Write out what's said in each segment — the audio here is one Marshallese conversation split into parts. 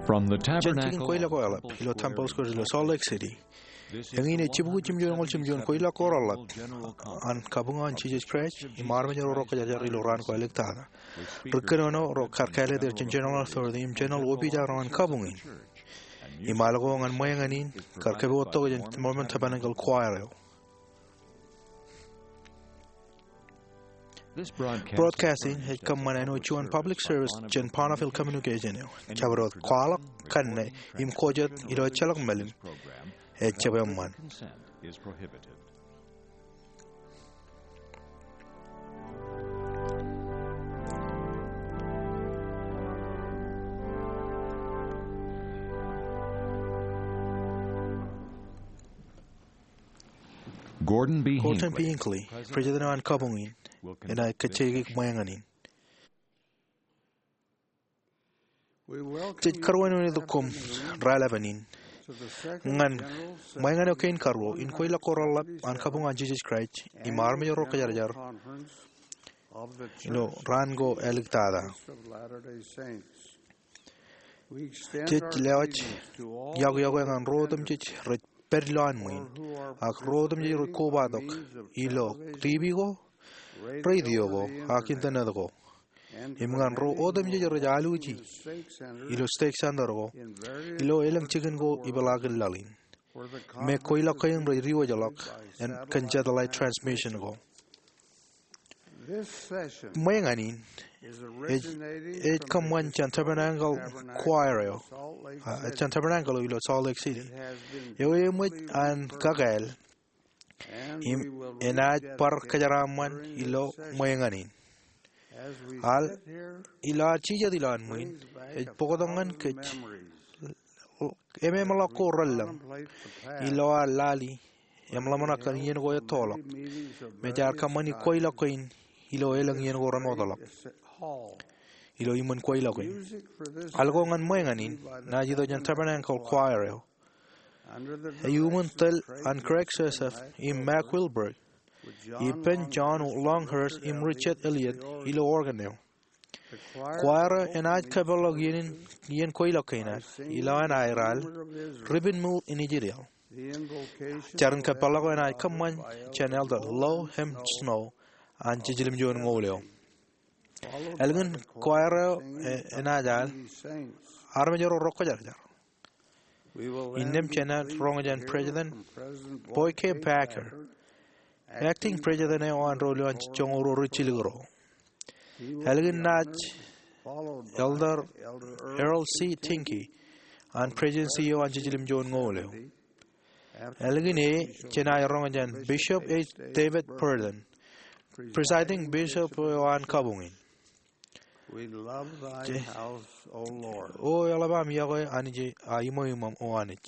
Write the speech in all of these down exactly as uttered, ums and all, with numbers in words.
Jān jikin kweilọk ko eḷap ilo Temple Square ilo Salt Lake City, eñin ej jibukwi jimjuon eñoul jimjuon kweilọk ko reḷap an kabuñ an Jisōs Kraist im armej ro rokkwōjarjar ilo raan ko āliktata. Ri kōnono ro kar kāālōt er jān General Authority im General Wōpijak ro ñan kabuñ in. Im al ko ñan ṃweiñan in kar kōpooj tok jān Mormon Tabernacle Choir eo. Broadcast in ej kōṃṃan āinwōt juon public service jān Bonneville Communication eo. Jabdewōt kwaḷọk, kanne, im ko jet ilo ejjeḷọk mālim ej jab eṃṃan. Gordon B. Hinckley, President eo an kabuñ in, enaaj kajjieiki ṃweiñan in. Jej karuwainene koṃ raelepin in ñan ṃweiñan eo kein karuo in kweilọk ko reḷap an kabuñ an Jisōs Kraist im armej ro rokkwōjarjar ilo raan ko āliktata. Jej lewōj yokwe ñan ro otemjej rej pād ilowaan ṃwiin, ak ro otemjej rej kobatok ilo TV ko, radio ko, ak internet ko, im ñan ro otemjej rej alwōji ilo Stake Center ko ilo elōñ jikin ko ipeḷaakin laḷ in, me kweilọk kein rej diwōjḷọk kōn satellite transmission ko. Ṃweiñan in ej, ej kōṃṃan jān Tabernacle Choir eo, a, jān Tabernacle eo ilo Salt Lake City. Eo eṃōj an kakāāl im enaaj bar kōjeraaṃṃan ilo ṃweiñan in. Al, ilo ad jijet ilowaan ṃwiin, ej bōktok ñan kōj ememeḷọk ko relōñ ilo ad lale im ḷōmṇak kōn iien ko ettoḷọk, me jaar kōṃṃani kweilọk kein ilo elōñ iien ko remootḷọk ilo iṃōn kweilọk in. Al ko ñan ṃweiñan in enaaj itok jān Tabernacle Choir eo, ej iuṃwin tōl an Craig Joseph im Mack Wilberg, ippān John Longhurst im Richard Elliott ilo organ eo. Choir eo enaaj kōpeḷḷọk iien, iien kweilọk kein ad ilowaan aer al, Ribbon Mill in Israel. Jarin kōpeḷḷọk eo enaaj kōṃṃan jān Elder Lo M. Snow an Jiljilimjuon Ñoul eo. Ālikin choir eo, e, enaaj al armej ro rokkwōjarjar. Innām jenaaj roñ jān President Boyd K. Packer, Acting President eo an ro ilowaan joñoul ruo ri jilkinro. Ālikin naaj Elder Errol C. Tingke an Presidency eo an Jiljilimjuon Ñoul eo. Ālikin e, jenaaj roñ jān Bishop H. David Burton, Presiding Bishop eo an kabuñ in. O eḷap aṃ iọkwe Anij, a iṃweiṃōṃ O Anij.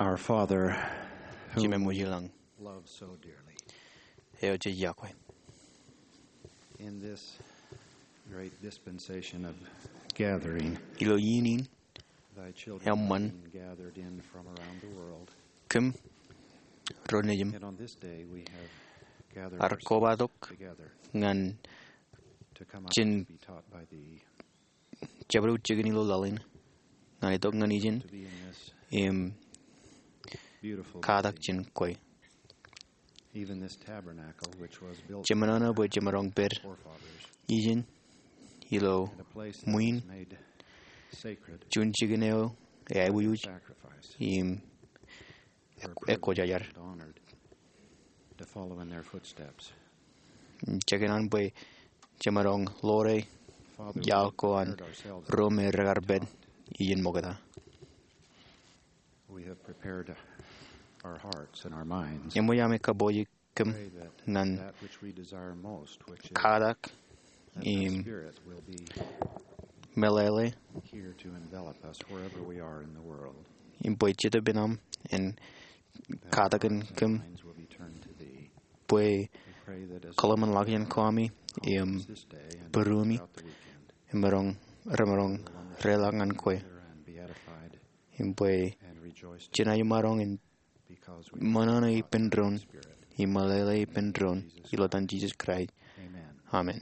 Our Father, whom Jemem eo ilañ, loves so dearly, eo jej iọkwe. In this great dispensation of gathering, ilo iien in, thy children eṃṃan, have been gathered in from around the world. Kōm ro nejūṃ, and on this day we have gathered, ar ourselves kobatok together ñan to come out jān to be taught by thee. Jabdewōt jikin ilo laḷ in, ñan itok ñan ijin im katak jān kwe. Even this tabernacle, which was built, jemān ṇe bwe jemaroñ pād, forefathers, ijin ilo, and a place that, ṃwiin, was made sacred, juon jikin eo eaiboojoj, sacrifice, im where, ekwōjarjar, privileged and honored to follow in their footsteps. Jekōṇaan bwe jemaroñ ḷoore, Father, we iaḷ ko an, prepared ourselves ro me rekar pād, to be taught, ijin ṃokta. We have prepared our hearts and our minds. Eṃōj ami kabooji kōm, pray that, ñan that which we desire most, which is katak, that thy im Spirit will be meḷeḷe, here to envelop us wherever we are in the world. Im bwe Jetōb in aṃ en katakin kōm, that our hearts and minds will be turned to thee. Bwe, we pray that as we kōḷmānḷọkjeṇ Kwōjarjar im, this day and bōrumi, throughout the weekend, im remaroñ, remaroñ reḷọk ñan kwe. And be edified. Im bwe, and rejoice together. Jen aikuj maroñ in ṃōṇōṇō ippān doon, im meḷeḷe ippān doon, ilo etan Jisōs Kraist. Amen. Amen.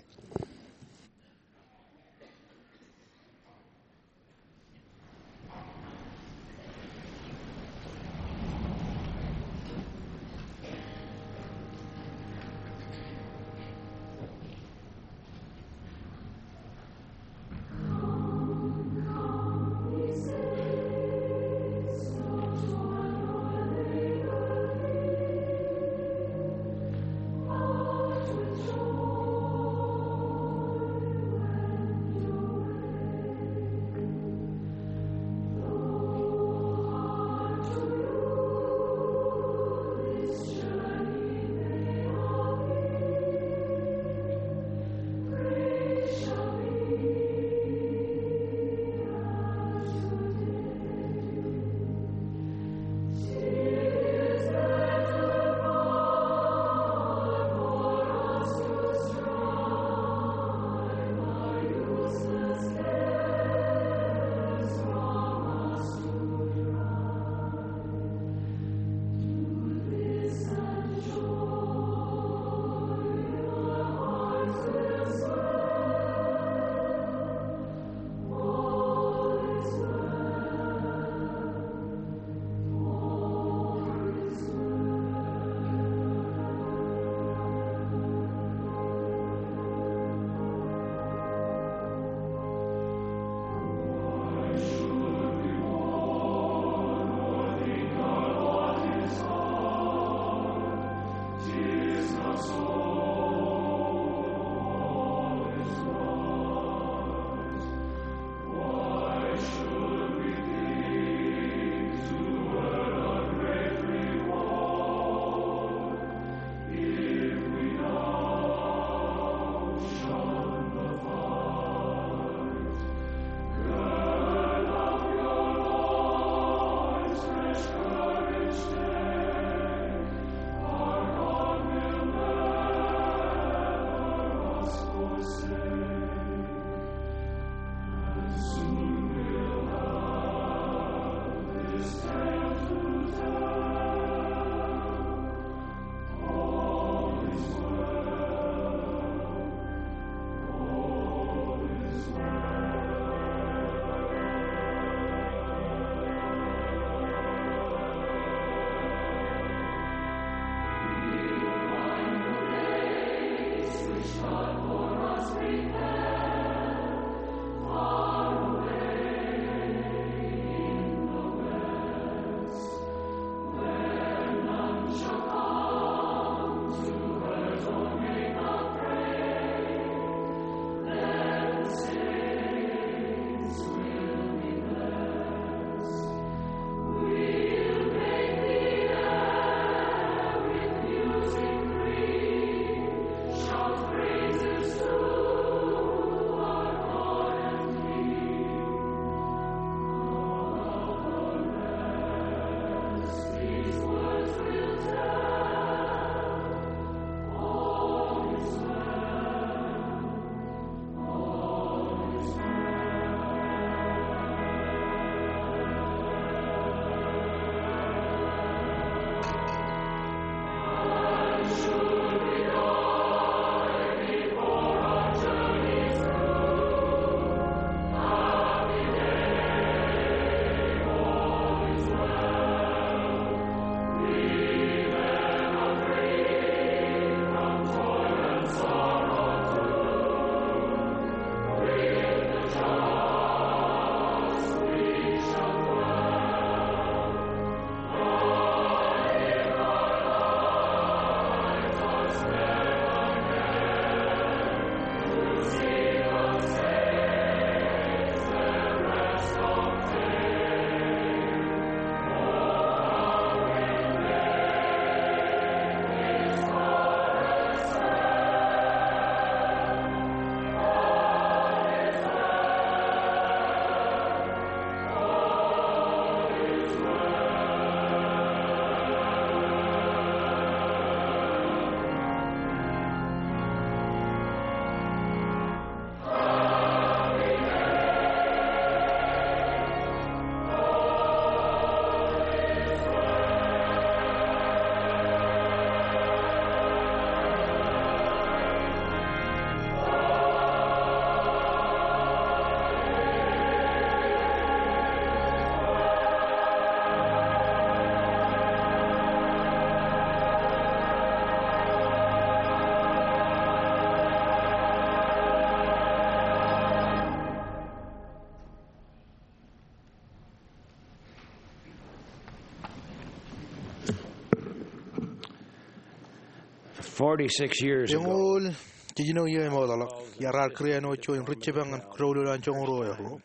Forty-six years ago, eñoul jiljino iiō emootḷọk, iar ar kūr āinwōt juon ri jipọk ñan doulul an joñoul ruo eo.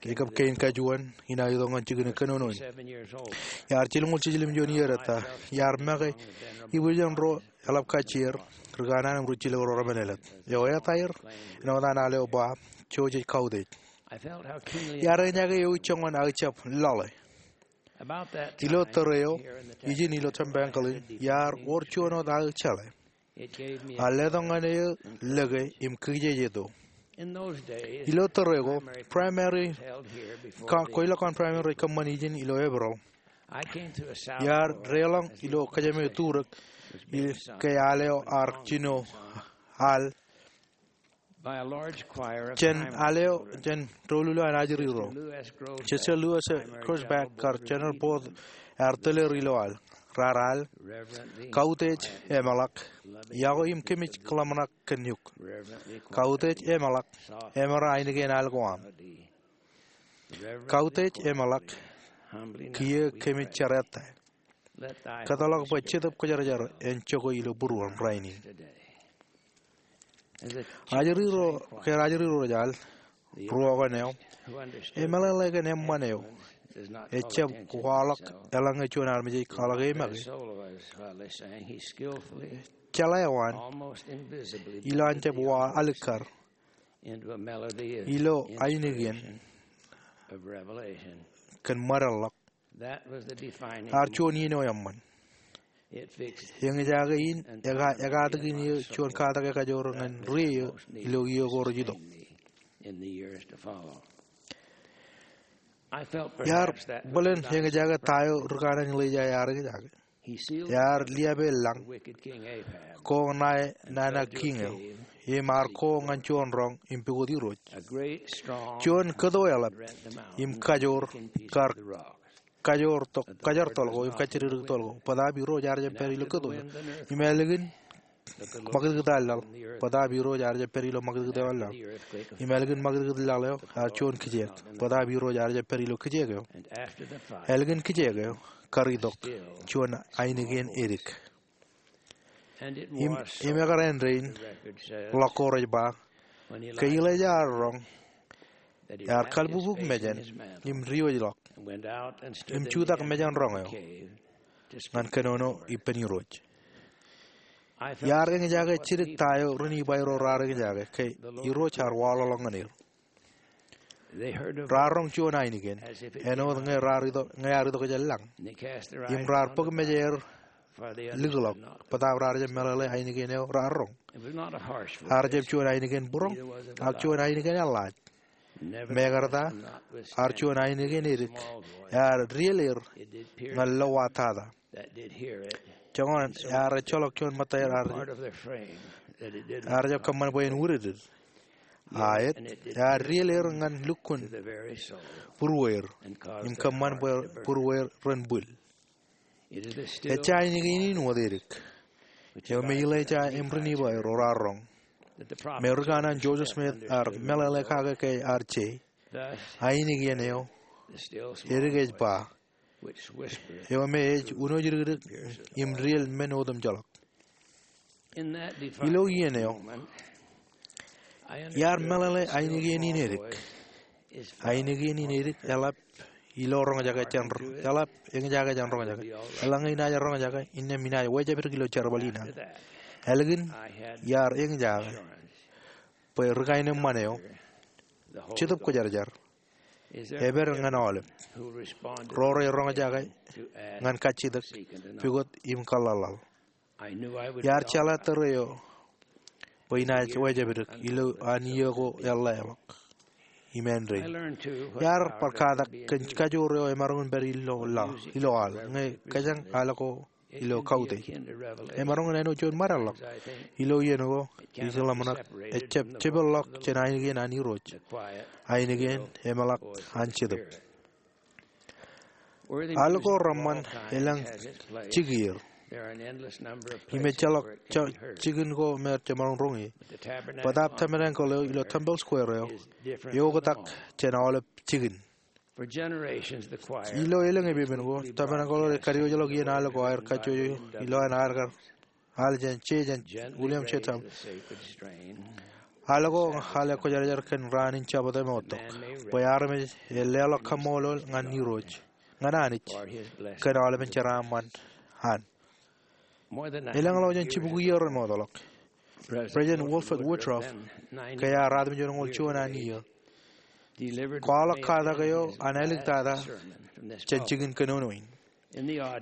Ij kab kein kajuon in aō itok ñan jikin kōnono in. Iar jilñuul jiljilimjuon iiō ettā, iar make ibwiljin ro eḷap kajjier, ri kanaan im ri jilkinḷọk ro remenelōt. Eo etaer, āinwōt an al eo ba, Jouj ej kautiej. Iar eñjake ewi joñan aō jab lale. Ilo tōre eo, ijin ilo tempeḷ in, iar wōr juon wōt aō jeḷā. A letok ñan eō lōke im kijejeto. Ilo tōre ko, primary, ka, kweilọk kōn primary rej kōṃṃan ijin ilo Eprōḷ. Iar deḷọñ ilo kōjām eo turōk, ke al eo ar jino al jān al eo jān doulul eo an ajri ro. Sister Louise Cruikshank kar General Booth ear tōl er ilo al. Raar al, Kautiej emeḷak, iọkwe im kōmij kōḷmānḷọk kōn eok. Kautiej emeḷak, emera ainikien al ko aṃ. Kautiej emeḷak, kiiō kōmij jerata. Kōtḷọk bwe Jetōb Kwōjarjar en jokwe ilo būruōṃ rainin. Ajri ro, ke ajri ro rej al, ruo kaṇ eo, emeḷeḷe kōn eṃṃan eo, ejab waḷọk eḷaññe juon armej ej kwaḷọk e make. Jeḷā eo an, ilo an jab wa alikkar, ilo ainikien kōn ṃōdeḷḷọk Ar juon iien eo eṃṃan. Eñjake in eka, ekatakin eō juon katak ekajoor ñan ri eo ilo iiō ko rej itok. Iar bōlen eñjake ta eo ri kanaan Elijah ear eñjake. Ear liape lañ ko ṇae nana kiiñ eo im ar ko ñan juon roñ im pukot irooj. Juon kōto eḷap im kajoor kar kajoor tok, kajoor tōl ko, im kajjidikdik tōl ko. Bōtaab Irooj ear jab pād ilo kōto eo. Im ālikin ṃakūtkūt an laḷ. Bōtaab Irooj ear jab pād ilo ṃakūtkūt eo an laḷ. Im ālikin ṃakūtkūt laḷ eo, ear juon kijeek. Bōtaab Irooj ear jab pād ilo kijeek eo. Ālikin kijeek eo, kar itok juon ainikien edik. Im, im ekkar āindein, ḷọk ko rej ba, ke Elijah ear roñ, ear kalbukbuk mejān, im diwōjḷọk, im jutak mejān roñ eo, ñan kōnono ippān Irooj. Iar eñjake jidik ta eo ri Nifai ro raar eñjake, ke Irooj ear waḷọkḷọk ñan er. Raar roñ juon ainikien, āinwōt ñe raar itok, ñe ear itok jān lañ. Im raar bōk mejeir likḷọk, bōtaab raar jab meḷeḷe ainikien eo raar roñ. Ear jab juon ainikien būroñ, ak juon ainikien eḷḷaaj. Mekarta, ear juon ainikien edik, ear dieḷ er ñan lowaan tata. Joñan ear ejjeḷọk juon ṃōttaer ear, ear jab kōṃṃan bwe en wūdikdik. Aet, ear dieḷ er ñan lukkuun būrueir, im kōṃṃan bwe būrueir ren bwil. Ejja ainikien in wōt edik. Eo me Elijah im ri Nifai ro raar roñ. Me ri kanaan Joseph Smith ear meḷeḷe kake ke ear je. Ainikien eo, edik ej ba, eo me ej unooj dikdik im dieḷ men otemjeḷọk. Ilo iien eo, iar meḷeḷe ainikien in edik. Ainikien in edik eḷap ilo roñjake jān, eḷap eñjake jān roñjake. Eḷaññe inaaj roñjake, innām inaaj wejāpdik ilo jerbal in an. Ālikin iar eñjake bwe ri kaenōṃṃan eo, Jetōb Kwōjarjar, epād ñan aolep ro rej roñjake ñan kajjitōk, pukot im kōḷḷaḷḷaḷ. Iar jeḷā tōre eo bwe inaaj wejāpdik ilo an iiō ko eḷḷāḷọk. Im āindein, iar bar katak kōn kajoor eo emaroñ in pād ilo laḷ, ilo al, ñe kōjañ al ko ilo kautiej. Emaroñ in āinwōt juon ṃōdeḷḷọk. Ilo iien ko, ij ḷōmṇak, ejjab jipeḷḷọk jān ainikien an Irooj. Ainikien emeḷak an Jetōb. Al ko reṃṃan elōñ jikier. Im ejjeḷọk jikin ko me jemaroñ roñi. Bōtaab tabernacle eo ilo temple square eo, eoktak jān aolep jikin. Ilo elōñ epepen ko, tabernacle eo rej kadiwōjḷọk iien al ko aer kajjojo ilo an aer kar al jān, je jān William J. Temple. Al ko al ekwōjarjar kōn raan in Jabōt eo ṃoottok, bwe armej ej leḷọk kaṃṃoolol ñan Irooj, ñan Anij, kōn aolepen jeraaṃṃan an. Elōñḷọk jān jibukwi iiō remootḷọk, President Wilford Woodruff, ke ear ruatimjuonñoul juon an iiō, kwaḷọk katak eo an āliktata jān jikin kōnono in.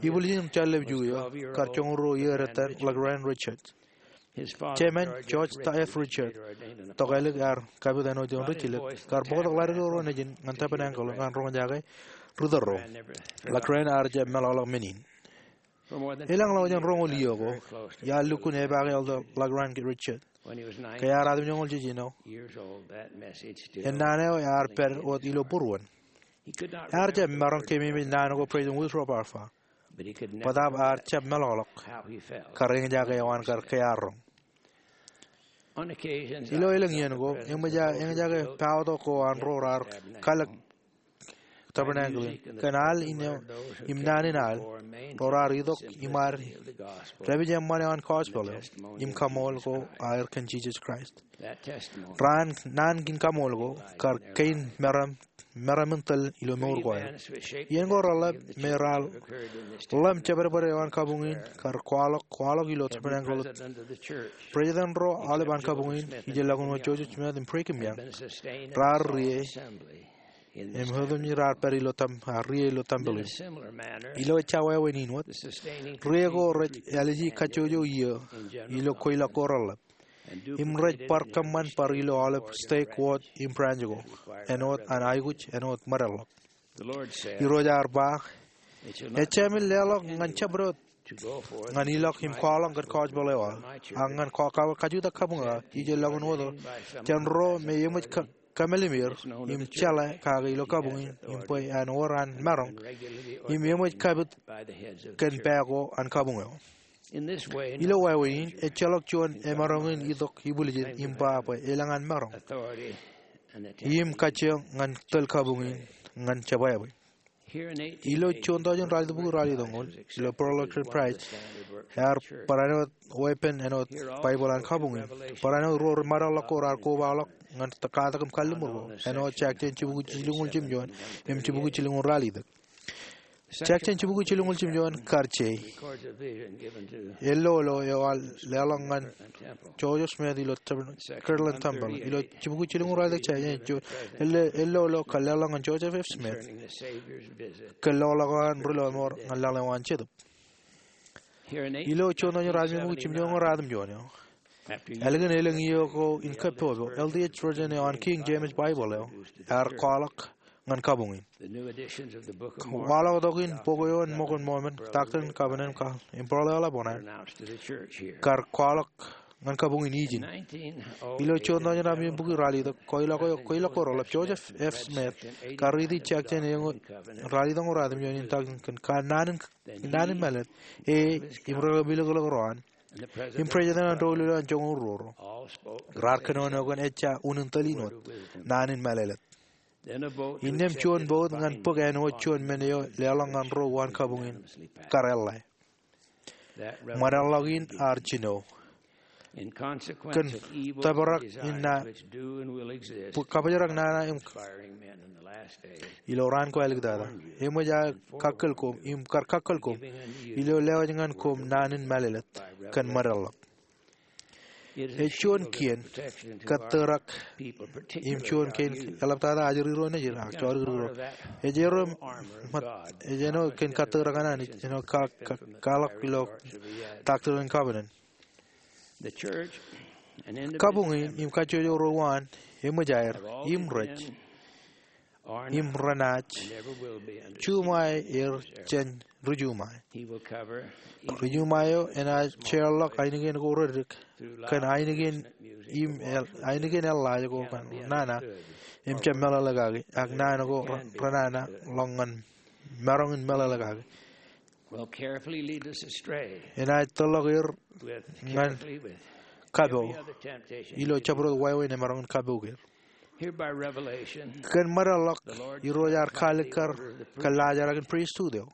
Ibwiljin jān ḷōb ju eo, kar joñoul ruo iiō detan, LaGrange Richards. Jemān, George F. Richards, tokālik ear kapit āinwōt ioon ri jilōk, kar bōktok ḷadik eo ro nejin ñan tabernacle ñan roñjake ri tōl ro. LaGrange ear jab meḷọkḷọk men in. Elōñḷọk jān roñoul iiō ko, iar lukkuun epaake Elder LaGrange Richards, ke ear ruatimjuonñoul jiljino, ennaan eo ear pād wōt ilo būruon. Ear jab maroñ keememej naan ko President Woodruff ear ba, bōtaab ear jab meḷọkḷọk kar eñjake eo an kar ke ear roñ. Ilo elōñ iien ko, eṃōj aō eñjake paotok ko an ro raar kalōk tabernacle in, kōn al in eo im naan in al, ro raar itok im ad dāpij eṃṃan eo an gospel eo, im kaṃool ko aer kōn Jisōs Kraist. Raan, naan in kaṃool ko, kar kein meram, meram in tōl ilo mour ko aer. Iien ko reḷap me raar ḷōm jebwedbwed eo an kabuñ in, kar kwaḷọk, kwaḷọk ilo tabernacle. President ro aolep an kabuñ in, ijellọkin wōt Joseph Smith im Brigham Young, raar rie im otemjej raar pād ilo tem-, a, rie ilo tempel in. Ilo ejja wāween in wōt, rie ko rej āliji kajjojo iiō ilo kweilọk ko reḷap, im rej bar kōṃṃan bar ilo aolep stake, wōt im branch ko, āinwōt an aikuj, āinwōt ṃōdeḷḷọk. Irooj ear ba, ejāmin leḷọk ñan jabdewōt ñan ilọk im kwaḷọk kōn gospel eo aō, ak ñan ka-, ka-, kajutak kabuñ eo aō, ijellọkin wōt jān ro me eṃōj ka-, kamelimir im jeḷā kake ilo kabuñ in, im bwe en wōr an maroñ, im eṃōj kapit kōn pā ko an kabuñ eo. Ilo wāween in, ejjeḷọk juon emaroñ in itok ibwiljin im ba bwe elōñ an maroñ im kajjioñ ñan tōl kabuñ in ñan jebwābwe. Ilo juon tọujin ralitōk bukwi ralitōñoul, ilo Pearl of Great Price, ear barāinwōt weeppān āinwōt Baibōḷ an kabuñ in. Barāinwōt ruo ri ṃōdeḷḷọk ko raar kobaḷọk ñan katak im kalliṃur ko, āinwōt Jakjen jibukwi jilñuul jimjuon im jibukwi jilñuul ralitōk. Jakjen jibukwi jilñuul jimjuon kar je ello eo ear leḷọk ñan Joseph Smith ilo tem-, Kirtland Temple. Ilo jibukwi jilñuul ralitōk, Jakjen juon ello, ello eo kar leḷọk ñan Joseph F. Smith kōn loḷọk eo an ri lọmọọr ñan laḷ eo an Jetōb. Ilo juon tọujin ralitōk bukwi jimjuon ñan ralitōk jimjuon eo, ālikin elōñ iiō ko in kōpopo, L. D. H. Rosen eo an King James Bible eo ear kwaḷọk ñan kabuñ in. Waḷọktok in bok eo an Ṃōk in Mōmon, Doctrine and Covenants, im Pearl of Lebanon, kar kwaḷọk ñan kabuñ in ijin. Ilo juon tọujin ralitōk bukwi ralitōk, kweilọk eo, kweilọk ko reḷap, Joseph F. Smith, kar riiti Jakjen eñoul ralitōk ñan ralitōk jimjuon in, tak in kōn naan in, naan in mālōtlōt, e, im ri lukkuun ro an, im president an doulul eo an joñoul ruo ro, raar kōnono kōn ejja unin tōl in wōt, naan in mālōtlōt. Innām juon boat ñan bōk āinwōt juon men eo leḷọk ñan ro uwaan kabuñ in kar eḷḷā. Ṃōdeḷḷọk in ear jino. Kōn tōprak in na, kabōjrak nana im ilo raan ko āliktata, eṃōj aō kakkōl koṃ, im kar kakkōl koṃ, ilo lewōj ñan koṃ naan in mālōtlōt kōn ṃōdeḷḷọk. Ej juon kien kōttōrak im juon kein eḷaptata ajri ro nejid ak jodikdik ro. Ej ro ṃōt, ej āinwōt kōn kōttōrak an Anij, āinwōt ka-, ka-, kwaḷọk ilo Doctrine and Covenants. Kabuñ in im kajjojo ro uwaan, eṃōj aer, im rej, im renaaj juṃae er jān ri juṃae. Ri juṃae eo enaaj jeorḷọk ainikien ko reddik kōn ainikien im el-, ainikien eḷḷaaj ko kōn nana im jab meḷeḷe kaki, ak naan ko re-, renana ḷọk ñan maroñ in meḷeḷe kaki. Enaaj tōrḷọk er ñan kapo ilo jabdewōt wāween emaroñ in kapouk er. Kōn ṃōdeḷḷọk, Irooj ear kaalikkar kōn laajrak in pristut eo.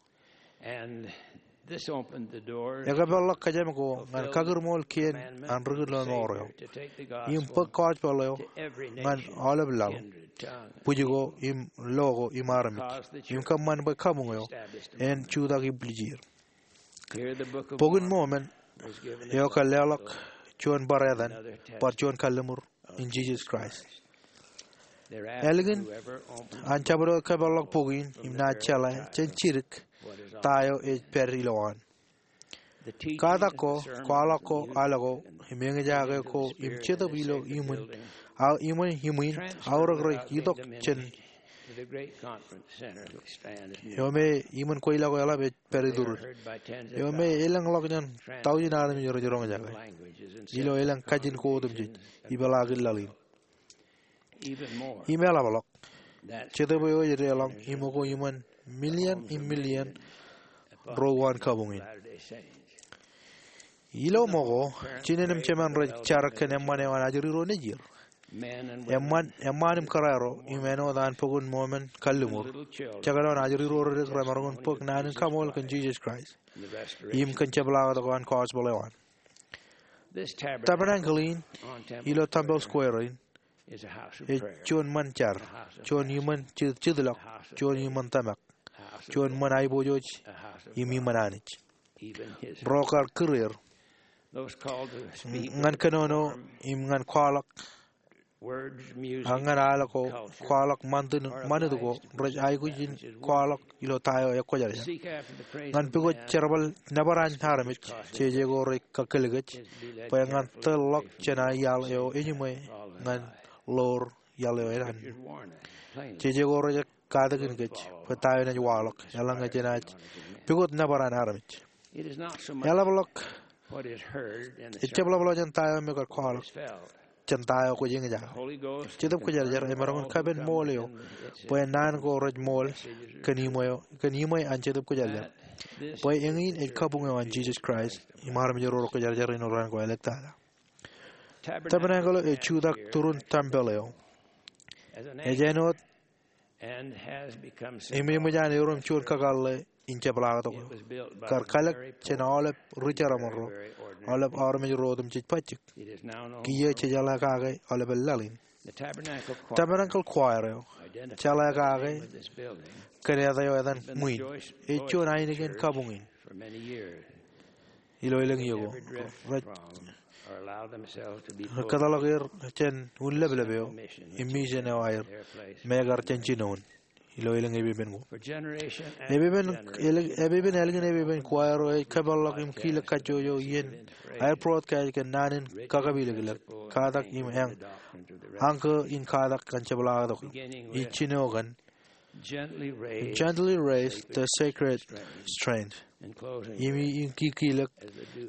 Ekwe peḷḷọk kōjām ko ñan kakūrmool kien an ri-kūrmool eo im bōk gospel eo ñan aolep laḷ, bwij ko im lo ko im armej, im kōṃṃan bwe kabuñ eo en jutak ibwiljir. Bok in Mōmon eo kōn leḷọk juon bar etan, bar juon kalliṃur in Jisōs Kraist. Ālikin an jabdewōt kōpeḷḷọk bok in im naaj jeḷā jān jidik ta eo ej pād ilowaan. Katak ko, kwaḷọk ko, al ko, im eñjake ko im jetōb ilo iṃwin, a, iṃwin, iṃwin aorōk rej itok jān eo me iṃwin kweilọk eo eḷap ej pād iturin, eo me elōñḷọk jān taujin armej rej roñjake ilo elōñ kajin ko otemjej ipeḷaakin laḷ in. Im eḷapḷọk, jetōb eo ej deḷọñ iṃōko iṃōn million im million ro uwaan kabuñ in. Ilo ṃōko, jinen im jemān rej jar kōn eṃṃan eo an ajri ro nejier. Eṃṃan, eṃṃaan im kōrā ro im āinwōt an bok in Mōmon kalliṃur, jekdọọn ajri ro reddik remaroñ in bōk naan in kaṃool kōn Jisōs Kraist im kōn jepḷaaktok eo an gospel eo an. Tabernacle in ilo Temple Square in ej juon ṃōn jar, juon iṃōn jet, jetlọk, juon iṃōn tōmak, juon ṃōn aiboojoj, im iṃōn Anij. Ro kar kūr er ñan kōnono im ñan kwaḷọk, ak ñan al ko, kwaḷọk, ṃanit ko rej aikuj in kwaḷọk ilo ta eo ekwōjarjar. Ñan pukot jerbal nōbar an armej, jeje ko rej kakōlikōj bwe ñan tōl ḷọk jān iaḷ eo eñin ṃwe ñan ḷoor iaḷ eo an. Jeje ko rej katakin kōj bwe ta eo enaaj waḷọk eḷaññe jenaaj pukot nōbar an armej. Eḷapḷọk, ejjab ḷapḷọk jān ta eo me kwōj kwaḷọk, jān ta eo kwōj eñjake. Jetōb Kwōjarjar emaroñ in kapen ṃool eo bwe naan ko rej ṃool kōn iṃwe, kōn iṃwe an Jetōb Kwōjarjar, bwe eñin ej kabuñ eo an Jisōs Kraist im armej ro rekwōjarjar ilo raan ko āliktata. Tabernacle eo ej jutak turun tempeḷ eo. Ej āinwōt im eṃōj an erom juon kakōḷḷe in jepḷaaktok eo. Kar kalōk jān aolep ri-jerbal ro, aolep armej ro otemjej bajjek. Kiiō jej jeḷā kake aolepen laḷ in. Tabernacle Choir eo jeḷā kake kōn eta eo etan ṃwiin, ej juon ainikien kabuñ in ilo elōñ iiō ko. Rej kōtḷọk er jān un leplep eo im mission eo aer, meekar jān jinoin ilo elōñ epepen ko. Epepen, epepen, ālikin epepen choir eo ej kōpeḷḷọk im kilōk kajjojo iien aer broadcast kōn naan in kakapilōklōk, katak im eñ, añ kōn katak ñan jepḷaaktok eo. Ij jino kōn Gently raise the sacred strains. Im, im kikilōk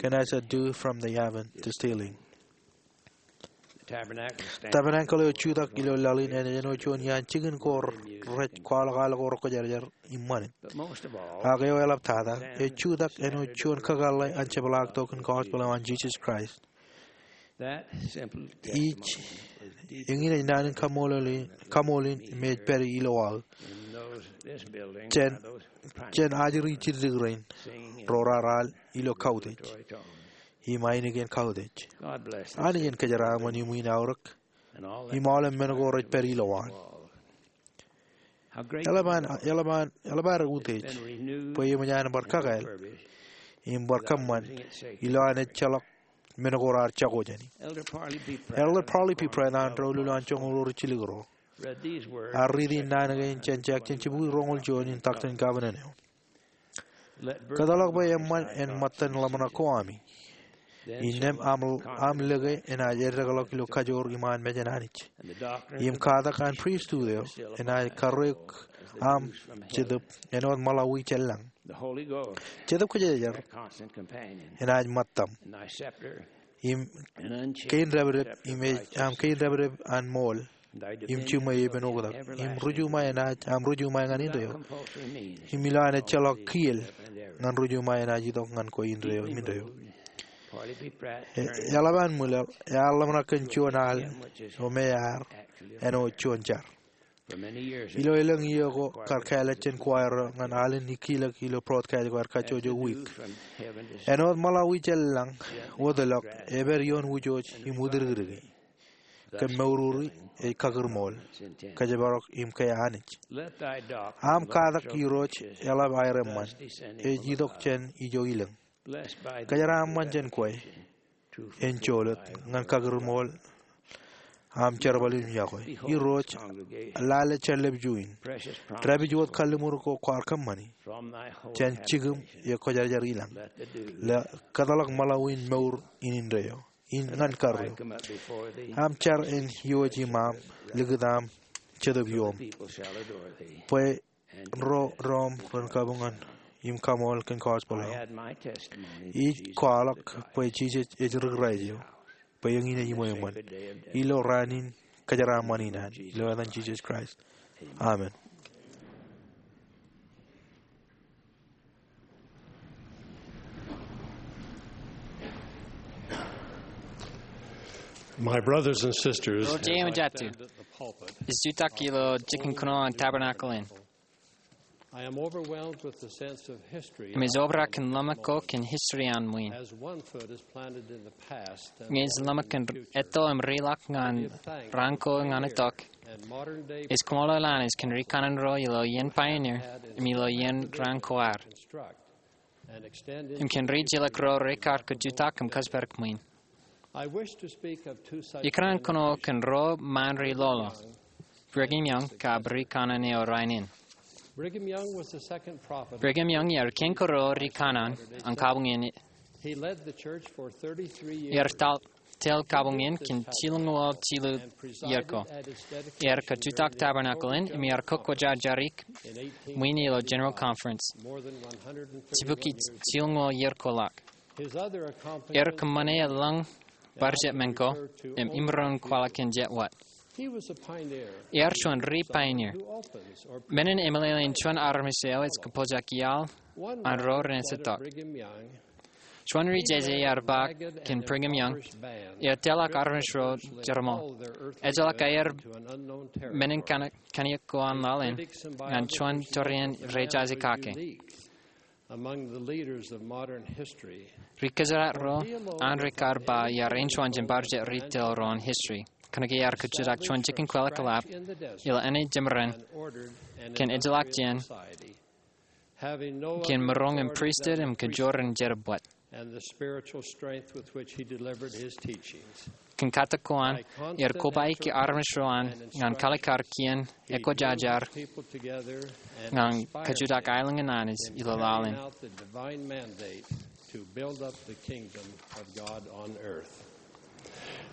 kōn As the Dew from the Heaven Distilling. Tabernacle eo ej jutak ilo laḷ in ej āinwōt juon iaan jikin ko rej kwaḷọk al ko rekwōjarjar im ṃanit. Ak eo eḷaptata, ej jutak āinwōt juon kakōḷḷe an jepḷaaktok in gospel eo an Jisōs Kraist. Ij, eñin ej naan in kaṃṃoolol in, kaṃṃoolol in me ej pād ilo aō jān, jān ajri jiddik rein ro raar al ilo kautiej im ainikien kautiej. Anij en kōjeraaṃṃan iṃwiin aorōk im aolep men ko rej pād ilowaan. Eḷap an, eḷap an, eḷap ad utiej bwe eṃōj an bar kakāāl im bar kōṃṃan ilowaan ejjeḷọk men ko raar jako jāni. Elder Parley P. Pratt an doulul an joñoul ruo ri jilik ro ear riiti naan kein jān Jackson jibukwi roñoul juon in Doctrine and Covenants eo. Kōtḷọk bwe eṃṃan en ṃōttan ḷōmṇak ko ami. Innām aṃ, aṃ lōke enaaj eddekḷọk ilo kajoor iṃaan mejān Anij. Im katak an pristut eo enaaj karreoik aṃ jetōb āinwōt ṃōḷawi jān lañ. Jetōb Kwōjarjar enaaj ṃōttaṃ. Im kein dāpdep, im ej aṃ kein dāpdep an ṃool im jiṃwe epen oktak. Im ri juṃae enaaj aṃ ri juṃae ñan indeeo. Im ilowaan ejjeḷọk kiiō ñan ri juṃae enaaj itok ñan kwe indeeo im indeeo. E, eḷap an ṃwilaḷ, ear ḷōmṇak kōn juon al eo me ear āinwōt juon jar. Ilo elōñ iiō ko kar kāālōt jān choir eo ñan alen ikilōk ilo broadcast ko aer kajjojo wiik. Āinwōt ṃōḷawi jān lañ wōtlọk epād ioon wūjooj im wūtikriki. Kōm moururi ej kakūrmool, kōjparok im kea Anij. Aṃ katak Irooj eḷap aer eṃṃan, ej itok jān ijo ilōñ. Kōjeraaṃṃan jān kwe en jolōt ñan kakūrmool aṃ jerbal im yokwe. Irooj, lale jān lepju in. Dāpij wōt kalliṃur ko kwaar kōṃṃani jān jikūṃ ekwōjarjar ilañ. Lale kōtḷọk ṃōḷawi in mour in indeeo in ñan karreo. Aṃ jar en iwōj iṃaṃ likūt aṃ Jetōb ioom, bwe ro doṃ ren kabuñ im kaṃool kōn gospel eo. Ij kwaḷọk bwe Jisōs ej ri Kraist eo, bwe eñin ej ṃweo eṃṃan. Ilo raan in kōjeraaṃṃan in an, ilo etan Jisōs Kraist, amen. My brothers and sisters, Ro jeiū im jatū, ij jutak ilo jikin kōnono an Tabernacle Inn. I am overwhelmed with the sense of history. Im ij obrak kōn ḷōmṇak ko kōn history an ṃwiin. As one foot is planted in the past and one in the future. Ñe ij ḷōmṇak kōn etto im ri ḷọk ñan raan ko ñan itok, ij kōṃṃool an Anij kōn rikanaan ro ilo iien pioneer im ilo iien raan ko ad. Im kōn ri jilkinḷọk ro rekar kajutak im kōjparok ṃwiin. Ikōṇaan kōnono kōn ruo ṃaan ri ḷoḷḷọk, Brigham Young kab rikanaan eo rainin. Brigham Young ear kein kōrā rikanaan an kabuñ in. Ear tōl kabuñ in kōn jilñuul jilu iiō ko. Ear kajutak Tabernacle Inn im ear kokkojajarik ṃwiin ilo General Conference. Jibukwi jilñuul iiō ko ḷọk. Ear kōṃṃane elōñ bar jet men ko im imaroñ kwaḷọk kōn jet wōt. Ear juon ri pioneer, men in emeḷeḷein juon armej eo ej kōpojak iaḷ an ro ren ej itok. Juon ri jeje ear ba kōn Brigham Young, ear tōl armej ro jerbal. Ejjeḷọk aer men in kōn, kōn iiō ko an laḷ in, ñan juon torien rej jaje kake. Ri kōjdat ro an rekar ba iar āinjuon jān bar jet ri tōl ro an history. Kōnke ear kajutak juon jikin kweḷap ilo āne jemāraṇ kōn ejjeḷọk jān kōn maroñ in pristut im kajoor in jerbal. Kōn katak ko an, ear kobaiki armej ro an ñan kaalikkar kien ekwojarjar ñan kajutak aelōñ in Anij ilo laḷ in.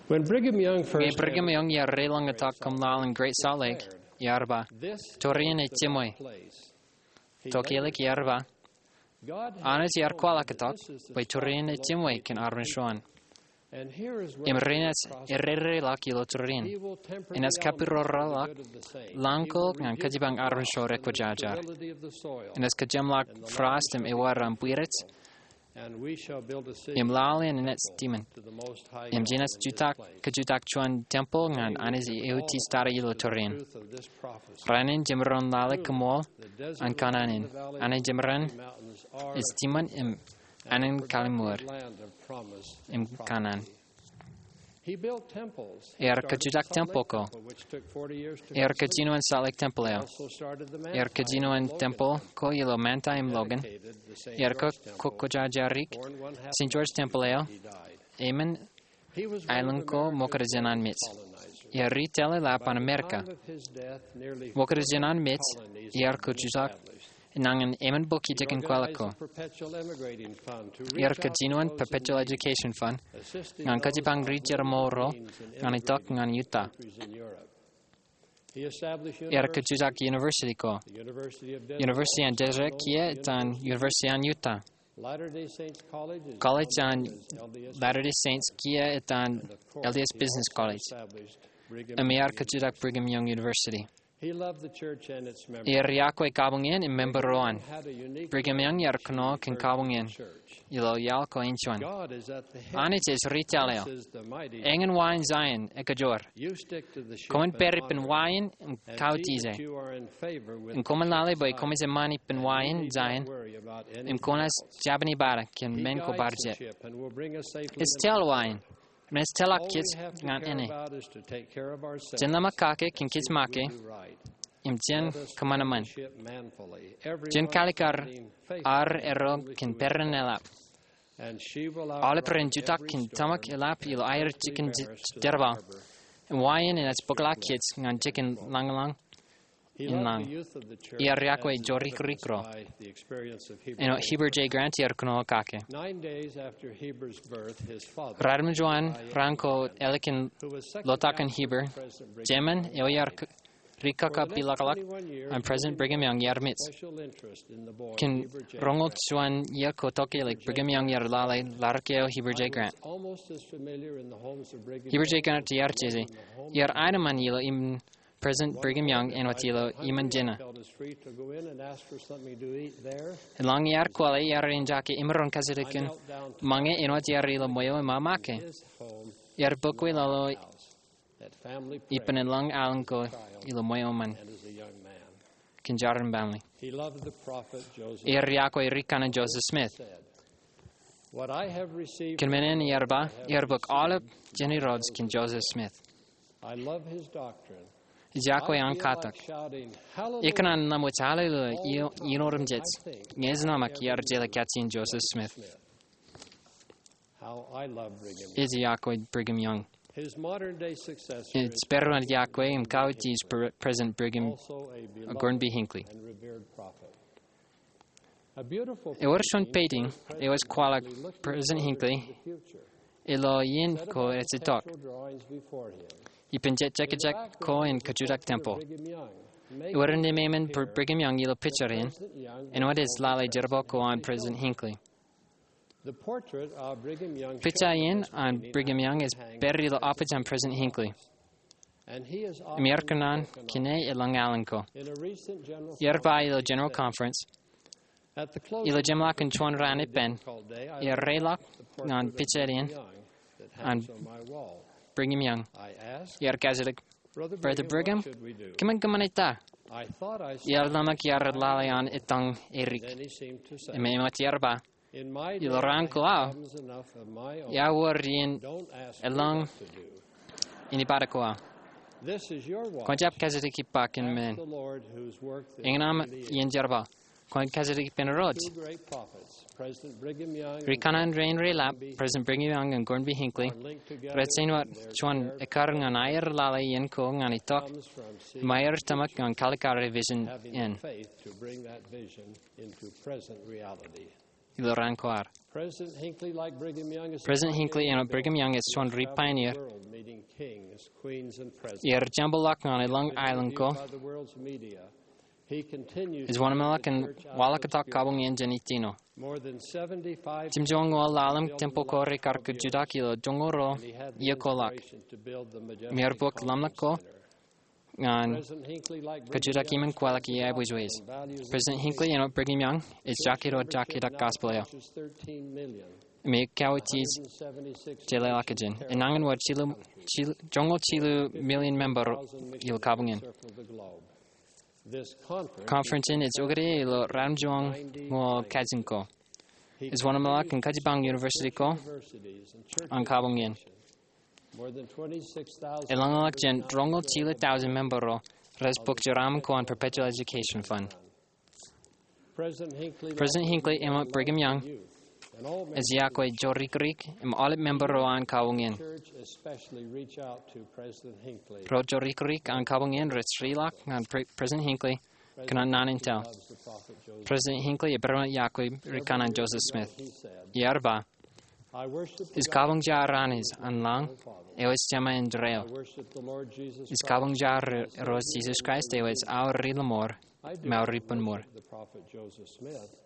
Ñe Brigham Young ear reiḷọñ itok kōṃṃan laḷ in Great Salt Lake, ear ba, torien ej jiṃwe. Tokālik ear ba, Anij ear kwaḷọk itok bwe torien ej jiṃwe kōn armej ro an. Im renaaj errereḷọk ilo torien. Enaaj kapiroraḷọk lañ ko ñan kajipañ armej ro rekwōjarjar. Enaaj kōjeṃḷọk frost im ewōr aṃ bwirej. Im laḷ in enaaj tiṃoṇ. Im jenaaj jutak, kajutak juon tempeḷ ñan Anij eutiej tata ilo torien. Rainin jemaroñ lale koṃṃool an kanaan in. Āne jemāraṇ ej tiṃoṇ im ānen kalliṃur im kanaan. Ear kajutak tempeḷ ko. Ear kajinoin Salt Lake Tempeḷ eo. Ear kajinoin tempeḷ ko ilo Manti im Logan. Ear ko, kokkōjarjarik Saint George Tempeḷ eo. Eṃṃan aelōñ ko ṃokta jān an mej. Ear ri tōl eḷap an Amerika. Ṃokta jān an mej, ear kajutak nañin emān bukwi jikin kweḷap ko. Ear kajinoin Perpetual Education Fund ñan kajipañ ri jerbal ro ñan itok ñan Utah. Ear kajutak university ko. University an Deseret kiiō etan University an Utah. College an Latter-day Saints kiiō etan L D S Business College. Im ear kajutak Brigham Young University. Ear iọkwe kabuñ in im member ro an. Brigham Young ear kōnono kōn kabuñ in ilo iaḷ ko in juon. Anij ej ri tōl eo. Eñin wa in Zion ekajoor. Koṃwin pād ippān wa in im kautiej e. Im koṃwin lale bwe koṃij eṃṃan ippān wa in Zion im koṇaaj jabdewōt kōn men ko bar jet. Ej tōl wa in im ej tōlḷọk kōj ñan āne. Jen lōṃōk kake kōn kōj make im jen kōṃanṃan. Jen kaalikkar ad erro kōn peran eḷap. Aolep ren jutak kōn tōmak eḷap ilo aer jikin jerbal. Im wa in enaaj bōkḷọk kōj ñan jikin lañlōñ in lañ. Ear iọkwe jorikrikro. Āinwōt Heber J. Grant ear kōnono kake. Ratimjuon raan ko ālikin lotak in Heber, jemān eo ear ri kōkkā pilakḷọk an President Brigham Young ear mej. Kōn roñoul juon iiō ko tokālik, Brigham Young ear lale ḷadik eo Heber J. Grant. Heber J. Grant ear jeje, ear aenōṃṃan ilo iṃōn President Brigham Young āinwōt ilo iṃōn jena. Eḷaññe ear kwōle, ear enjake imaroñ kajjitōk in ṃōñā āinwōt ear ilo ṃweo im make. Ear bōk wōt lọlo ippān eḷaññe aolep ko ilo ṃweo ṃōn kōn jar im baaṃle. Ear iọkwe ri kanaan Joseph Smith. Kōn men in ear ba, ear bōk aolep jān Irooj kōn Joseph Smith. Ij iọkwe an katak. Ikōṇaan ḷōmṇak, Hallelujah, iien otemjej. Ñe ej ḷōmṇak, iar jeḷā kajjien Joseph Smith. Ij iọkwe Brigham Young. Ij pād iọkwe im kautiej President Brigham Gordon B. Hinckley. Ewōr juon painting eo ej kwaḷọk President Hinckley ilo iien ko ej itok ippān jet jekjek ko in kajutak temple. Ewōr innām eṃṃan Brigham Young ilo picture in, āinwōt ej lale jerbal ko an President Hinckley. Picture in an Brigham Young ej pād ilo office an President Hinckley. Im ear kōnono kōn e eḷaññe alen ko. Ear ba ilo General Conference, ilo jeṃḷọkin juon raan ippān, ear reilọk ñan picture in an Brigham Young. Ear kajjitōk, Brother Brigham, kōmin kōṃṃane ta? Ear ḷōmṇak ear lale an etaṃ edik. Im āinwōt ear ba, ilo raan ko aō, iar wōr iien eḷaññe anybody ko aō. Kwōn jab kajjitōk ippa kōn men. Eñin aṃ iien jerbal. Kwōn kajjitōk ippān Irooj. Ri kanaan rein reilap, President Brigham Young im Gordon B. Hinckley, rej āinwōt juon ekkar ñan aer lale iien ko ñan itok, im aer tōmak ñan kaalikkare vision in. Ilo raan ko ad. President Hinckley āinwōt Brigham Young ej juon ri pioneer. Ear jempeḷḷọk ñan eḷaññe aelōñ ko. Ej wōnṃaanḷọk im waḷọk tok kabuñ in jān ijin eo. Jimjuonñoul ḷalem temple ko rekar kajutak ilo joñoul ruo iiō ko ḷọk. Im ear bōk ḷōmṇak ko ñan kajutak iṃōn kwaḷọk iiō aebwijwij. President Hinckley āinwōt Brigham Young ej jakido jakidak gospel eo. Im ej kautiej jeḷāḷọkjeṇ. Enañin wōr jilu, jilu, joñoul jilu million member ilo kabuñ in. Conference in ej okde ilo ratimjuonñoul kajin ko. Ej wōnṃaanḷọk im kajjipañ university ko an kabuñ in. Eḷaññe ḷọk jān roñoul jilu tọujin member ro rej bōk jeraaṃṃan ko an Perpetual Education Fund. President Hinckley āinwōt Brigham Young ej iọkwe jorikrōk im aolep member ro an kabuñ in. Ro jorikrōk an kabuñ in rej reilọk ñan Pre-, President Hinckley kōn an naan in tōl. President Hinckley ej barāinwōt iọkwe ri kanaan Joseph Smith. Ear ba, ij kabuñjar Anij an lañ, eo ej Jemān in rael. Ij kabuñjar Irooj Jisōs Kraist eo ej aō ri-lọmọọr im aō ri-bōnmor.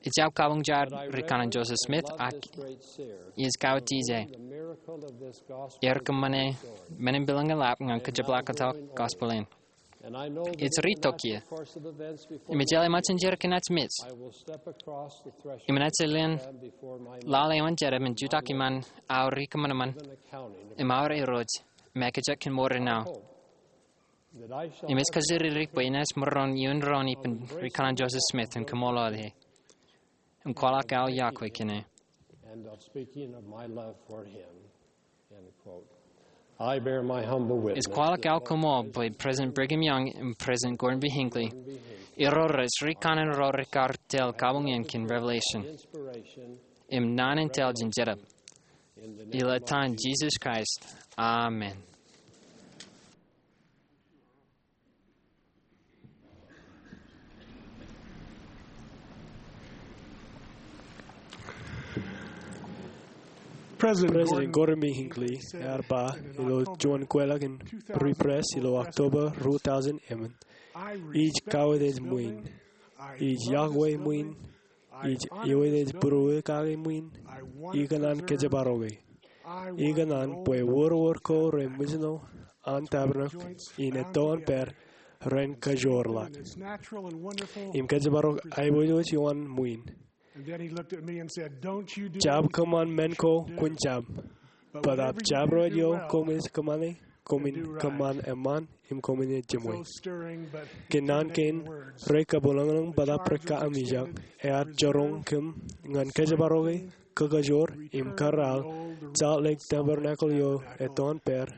Ij jab kabuñjar ri kanaan Joseph Smith ak ij kautiej e. Ear kōṃṃane men in bwilōñ eḷap ñan kajjipḷaaktok gospel in. Ej ritok ie. Im ejjeḷọk ṃōttan jerkōn ej mej. Im inaaj lien lale ioon jerā im jutak iṃaan aō rikōṃanṃan im aō irooj im ekjek kōn mour eo aō. Im ej kōjatdikdik bwe inaaj maroñ in doon ippān Rikōṇaan Joseph Smith im kaṃṃoolol e im kwaḷọk aō iọkwe kōn e. Ej kwaḷọk aō koṃṃool bwe President Brigham Young im President Gordon B. Hinckley, ro rej rikōṇaan ro rekar tōl kabuñ in kōn revelation im naan in tōl jān Jetōb. Ilo etan Jisōs Kraist, amen. President Gordon B. Hinckley ear ba ilo juon kweilọk in Free Press ilo October ruo tọujin emān, ij kawōj ṃwiin, ij iọkwe ṃwiin, ij iwōj ej būruō kake ṃwiin, ikōṇaan kōjparoke. Ikōṇaan bwe wōrwōr ko reṃwijno an tabernakōl in etto an pād ren kajoor ḷọk im kōjparok aiboojoj ioon ṃwiin. Jab kōṃṃan men ko kwōn jab, bōtaab jabdewōt eo koṃij kōṃṃane, koṃin kōṃṃan eṃṃan im koṃin ejimwe. Kōn naan kein rej kabwilōñlōñ bōtaab rej kaamijak, ear jiroñ kōm ñan kōjparoke, kakajoor im kōrā Salt Lake Tabernacle eo etto an pād,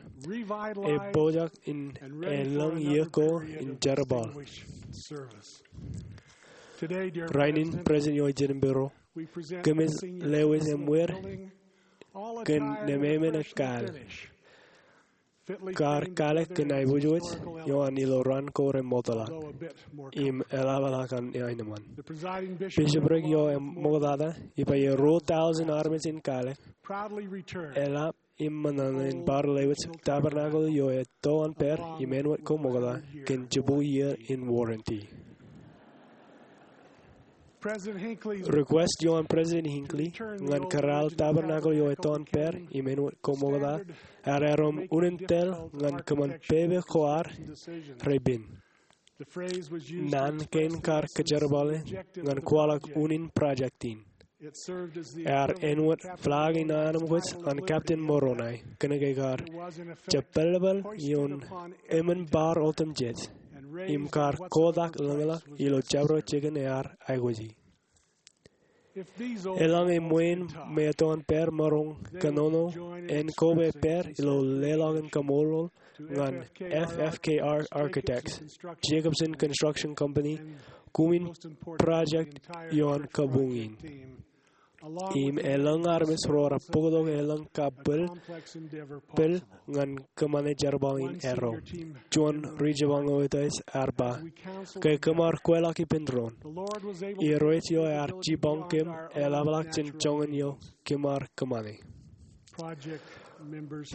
epojak in elōñ iiō ko in jerbal. Rainin, President eo ej jen ippān ro, kōmij lewōj eṃwiir kōn nemāmein ekkaal kar kalōk kōn aiboojoj ioon ilo raan ko remootḷọk im eḷapḷọk an aenōṃṃan. Bishopric eo eṃoktata, ippān ruo tọujin armej in kalōk, eḷap im ṃōṇōṇō in bar lewōj tabernacle eo etto an pād im āinwōt ko ṃokta kōn jibukwi iiō in warranty. Request eo an President Hinckley ñan kōrā tabernacle eo etto an pād im āinwōt ko ṃokta ear erom unin tōl ñan kōṃṃan pepe ko ad reipen. Naan kein kar kōjerbale ñan kwaḷọk unin project in. Ear āinwōt flag in anemkwōj an Captain Moroni, kōnke kar jepelpel ioon emān bar otemjej im kar kotak lōñḷọk ilo jabdewōt jikin ear aikuji. Eḷaññe ṃwiin me etto an pād maroñ kōnono, en koba pād ilo leḷọk in kaṃṃoolol ñan F F K R Architects, Jacobson Construction Company, kumi in project ioon kabuñ in. Im elōñ armej ro rej bōktok elōñ kabwilbwil ñan kōṃṃane jerbal in erro. Juon ri-jipañ eo ear ba, ke kōmar kweilọk ippān doon, Irooj eo ear jipañ kōm eḷapḷọk jān joñan eo kōmar kōṃṃane.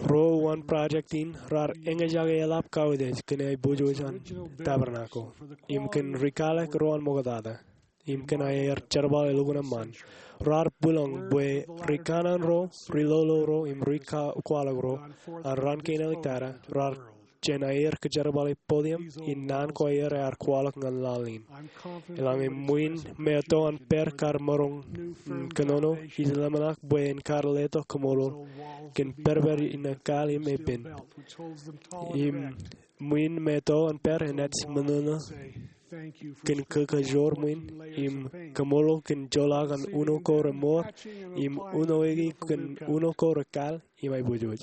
Ro uwaan project in raar eñjake eḷap kawōj kōn aiboojoj an tabernacle im kōn rikalōk ro an ṃoktata im kōn aer jerbal elukkuun eṃṃan. Raar bwilōñ bwe ri-kōṇaan ro, ri-lolo ro im ri-kwaḷọk ro an raan kein āliktata raar jān aer kōjerbale podium in naan ko aer ear kwaḷọk ñan laḷ in. Eḷaññe ṃwiin me etto an pād kar maroñ kōnono, ij ḷōmṇak bwe en kar letok kaṃṃoolol kōn pedped in ekkaal im epen. Im ṃwiin me etto an pād enaaj ṃōṇōṇō kōn kōkajoor ṃwiin im kaṃṃoolol kōn joḷọk an uno ko remour im unoiki kōn uno ko rekal im aiboojoj.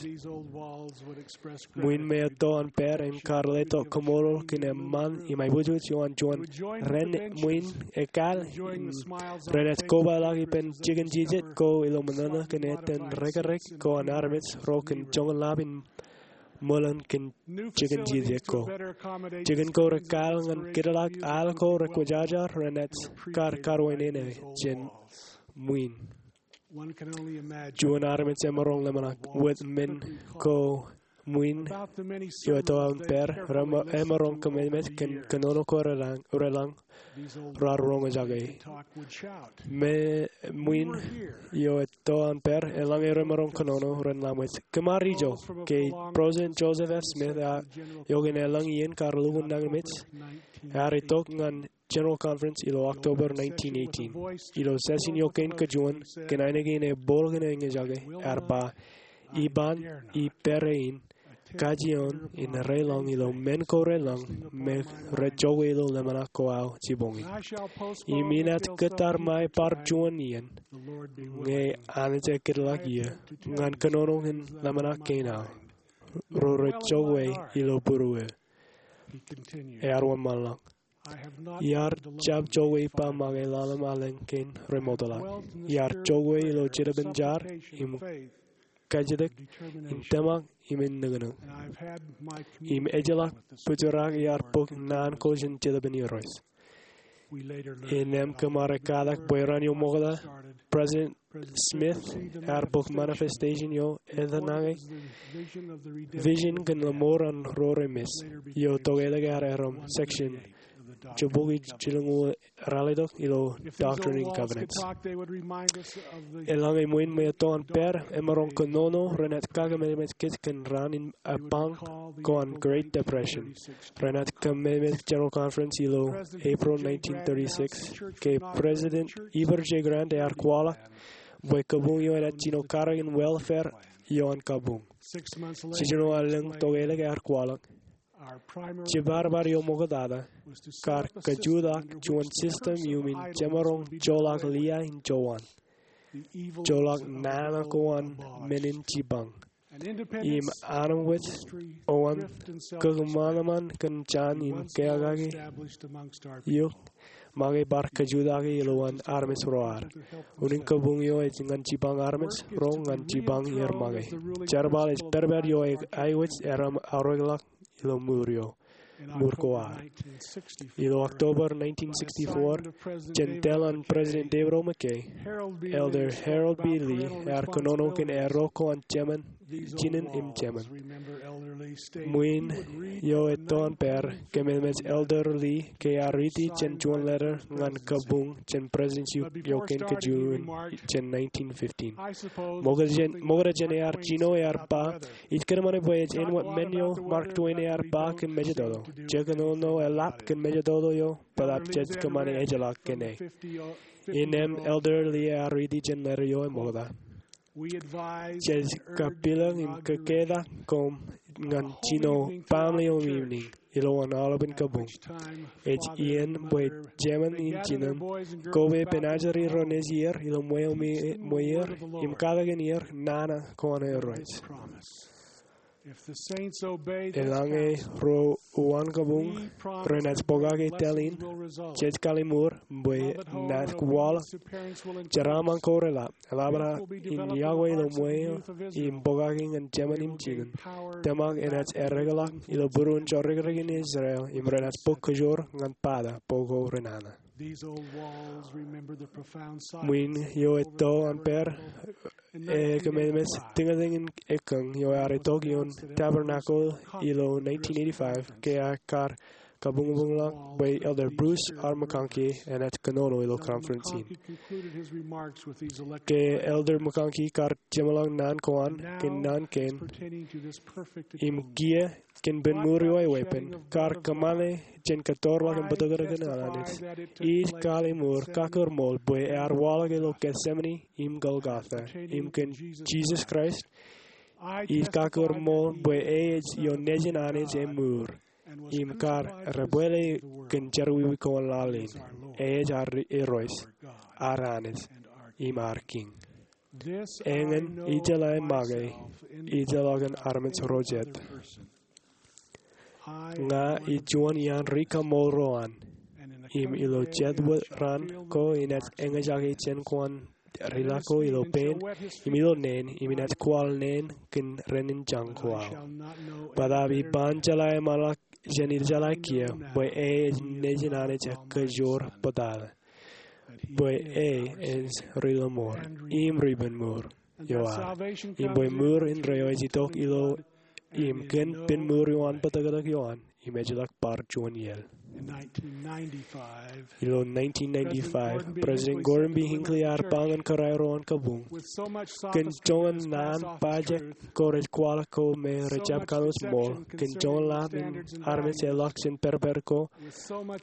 Ṃwiin me etto an pād en kar letok kaṃṃoolol kōn eṃṃan im aiboojoj ioon juon ren ṃwiin ekkaal im renaaj kobaḷọk ippān jikin jijet ko ilo ṃōṇōṇō kōn etan rekrek ko an armej ro kōn joñan lab in ṃōḷan kōn jikin jijet ko. Jikin ko rekal ñan kidlak al ko rekwōjarjar renaaj kar karwaineneik jān ṃwiin. Juon armej emaroñ ḷōmṇak wōt men ko Ṃwiin eo etto an pād remaroñ kōmemeej kōn kōnono ko reḷañ, reḷañ raar roñjake. Im ṃwiin eo etto an pād eḷaññe remaroñ kōnono ren laṃwōj. Kōm ar ijo ke President Joseph F. Smith, a, eo kōn eḷañ iien kar lukkuun nañinmej, ear itok ñan General Conference ilo October nineteen eighteen. Ilo session eo kein kajuon, kōn ainikien ebooḷ kōn eñjake, ear ba, "Iban ippāerre in, kajjioñ in reḷọñ ilo men ko reḷọñ me rej jokwe ilo ḷōmṇak ko aō jiboñin. Im inaaj kōttar ṃae bar juon iien, ñe Anij ekōtḷọk eō, ñan kōnono kōn ḷōmṇak kein aō, ro rej jokwe ilo būruō." Ear wōnṃaanḷọk, "Iar jab jokwe ippa make ḷalem aelōñ kein remootḷọk. Iar jokwe ilo jetōb in jar, im kajjitōk, im tōmak, im nōknōk. Im ejjeḷọk bōjrak iar bōk naan ko jān Jetōb in Irooj." Innām kōm ar ekkatak bwe raan eo ṃokta, President Smith ear bōk manifestation eo etan ñan vision kōn ḷōṃor an ro remeej, eo tokālik ear erom section jibukwi jilñuul ralitōk ilo Doctrine and Covenants. Eḷaññe ṃwiin eo etto an pād emaroñ kōnono, renaaj kakōmemeej kōj kōn raan in epañ ko an Great Depression. Renaaj kōmemeej General Conference ilo April nineteen thirty-six, ke President Heber J. Grant ear kwaḷọk bwe kabuñ eo enaaj jino karōk in welfare eo an kabuñ. Jiljino aelōñ tokālik ear kwaḷọk, "Jibadbad eo ṃoktata kar kajutak juon system iuṃwin jemaroñ joḷọk lia in jowan, joḷọk nana ko an men in jipañ, im anemkwōj eo an kōkōṃanṃan kōn jān im kōkake eok make bar kajutake ilowaan armej ro ad." Unin kabuñ eo ej ñan jipañ armej ro ñan jipañ er make. Jerbal ej pedped eo aikuj erom aorōkḷọk ilo ṃuur eo, ṃuur ko ad. Ilo October nineteen sixty-four, jān tōl an President David O. McKay, Elder Harold B. Lee ear kōnono kōn erro ko an jemān, jinen im jemān. Ṃwiin eo etto an pād, kōmemeej Elder Lee ke ear riiti jān juon letter ñan kabuñ jān Presidency eo kein kajuon jān nineteen fifteen. Ṃokta jān, ṃokta jān ear jino ear ba, "Ij kōṃṃane bwe ej āinwōt men eo Mark Twain ear ba kōn mejatoto, 'Jekōnono eḷap kōn mejatoto eo, bōtab jej kōṃṃane ejjeḷọk kōn e.'" Innām Elder Lee ear riiti jān letter eo eṃokta, "Jej kapeḷḷọk im kōketak koṃ ñan jino baaṃle eo eṃṃan ilowaan aolepān kabuñ. Ej iien bwe jemān im jinōṃ, koba pen ajri ro nejierro ilo ṃweo im ṃweer, im katakin er nana ko an Irooj. Eḷaññe ro uwaan kabuñ renaaj pokake tōl in, jej kalliṃur bwe naaj kwaḷọk jeraaṃṃan ko reḷap, eḷapḷọk in yokwe ilo ṃweo im pokake ñan jemān im jinōṃ. Tōmak enaaj ereḷọk ilo būruon jorrāān in Israel, im renaaj bōk kōjoor ñan bata bwe ko renana." Ṃwiin eo etto an pād, ekōmemeej tiñañ in ekkōñ eo ear itok ioon Tabernacle ilo nineteen eighty-five, ke ear kar kabuñbuñḷọk bwe Elder Bruce R. McConkie enaaj kōnono ilo conference in. Ke Elder McConkie kar jeṃḷọk naan ko an kōn naan kein im kiiō kōn pen ṃuur eo eweeppān, kar kōṃṃane jān kōttorḷọk im bōtōktōkin an Anij, ij kalliṃur kakūrmool bwe ear waḷọk ilo Gethsemane im Golgotha, im kōn Jisōs Kraist, ij kakūrmool bwe e ej ioon Nejin Anij eṃṃan, im kar debwāāl kōn jerọwiwi ko an laḷ in. E ej ad Irooj, ad Anij, im ad Kiiñ. Eñin ijeḷā make ijeḷọkin armej ro jet. Ña ij juon iaan ri-kaṃṃoolro an, im ilo jet wōt raan ko inaaj eñjake jān ko an ri-lako ilo pein, im ilo neen, im inaaj kwaḷ neen kōn renin jañ ko aō. Bōtab iban jeḷā eṃṃanḷọk jān ijeḷā kiiō bwe e ej Nejin Anij ekajoor bōtab, bwe e ej ri-lọmọọr im ri-penmour eo ad, im bwe ṃuur indeeo ej itok ilo im kōn pen mour eo an bōtōktōk ioan im ejjeḷọk bar juon iaḷ. Ilo nineteen ninety-five, President Gordon B. Hinckley ear ba ñan kōrā ro an kabuñ, kōn joñan naan bajjek ko rej kwaḷọk ko me rej jab kaḷoos ṃool, kōn joñan lab in armej eḷḷọk jān pād ko,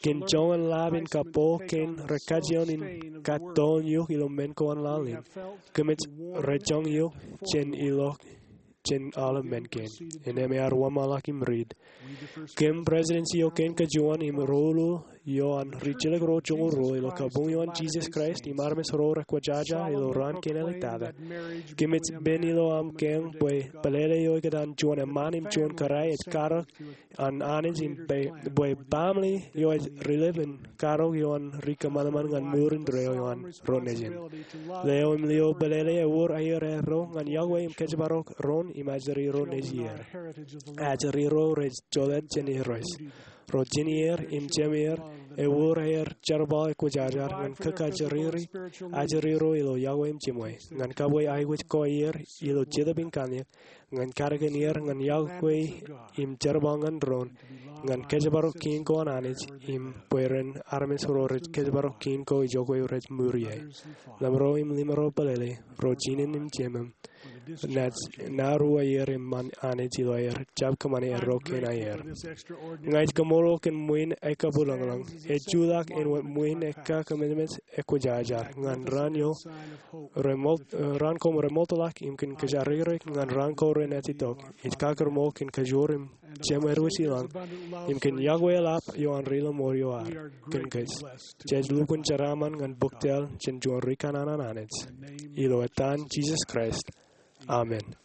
kōn joñan lab in kapo kein rekajjioñ in kōttoon eok ilo men ko an laḷ in, kōmij rejoñ eok jān ilo jān aolep men kein. Innām ear wōnṃaanḷọk im riit. Kōm Prestudensi eo kein kajuon im ro ilo ioon rijjilōk ro joñoul ruo ilo kabuñ eo an Jisōs Kraist im armej ro rekwōjaja ilo raan kein āliktata, kōmij pen ilo aṃ kiiō bwe pelele eo ikōtaan juon eṃṃaan im juon kōrā ej karōk an Anij im bwe, bwe baaṃle eo ej ri-lōb in karōk ioon ri kōṃanṃan ñan mour indeeo ioon ro nejin. Leo im lio pelele ewōr aier eo ñan iọkwe im kōjparok ro im ajri ro nejier. Ajri ro rej jolōt jān Irooj. Ro jinier im jemeer ewōr aer jerbal ekwōjarjar ñan kōkajriri ajri ro ilo iọkwe im jiṃwe, ñan kabwe aikuj ko er ilo Jetōb in Kōnke, ñan kaddekān er ñan iọkwe im jerbal ñan doon, ñan kōjparok kiiñ ko an Anij im bwe ren armej ro rej kōjparok kiiñ ko ijoko rej ṃuri ie. Lemro im limro pelele, ro jinen im jemem, naaj nā ri aier eṃṃan Anij ilo aer jab kōṃṃane erro kein aier. Ña ij kaṃṃoolol kōn ṃwiin ekkā būḷōñḷōñ, ej jutak āinwōt ṃwiin ekkā kōmemej ekwōjarjar ñan raan eo raan ko remootḷọk im kōn kōjaririk ñan raan ko renaaj itok. Ij kakūrṃool kōn kajoor im jemwāwōj ilañ im kōn iọkwe eḷap ioon ri-lōṃool eo ad kōn kōj. Jej lukkuun jeraaṃṃan ñan bōk jeḷ jān juon ri kanaan an Anij. Ilo etan Jisōs Kraist. Amen.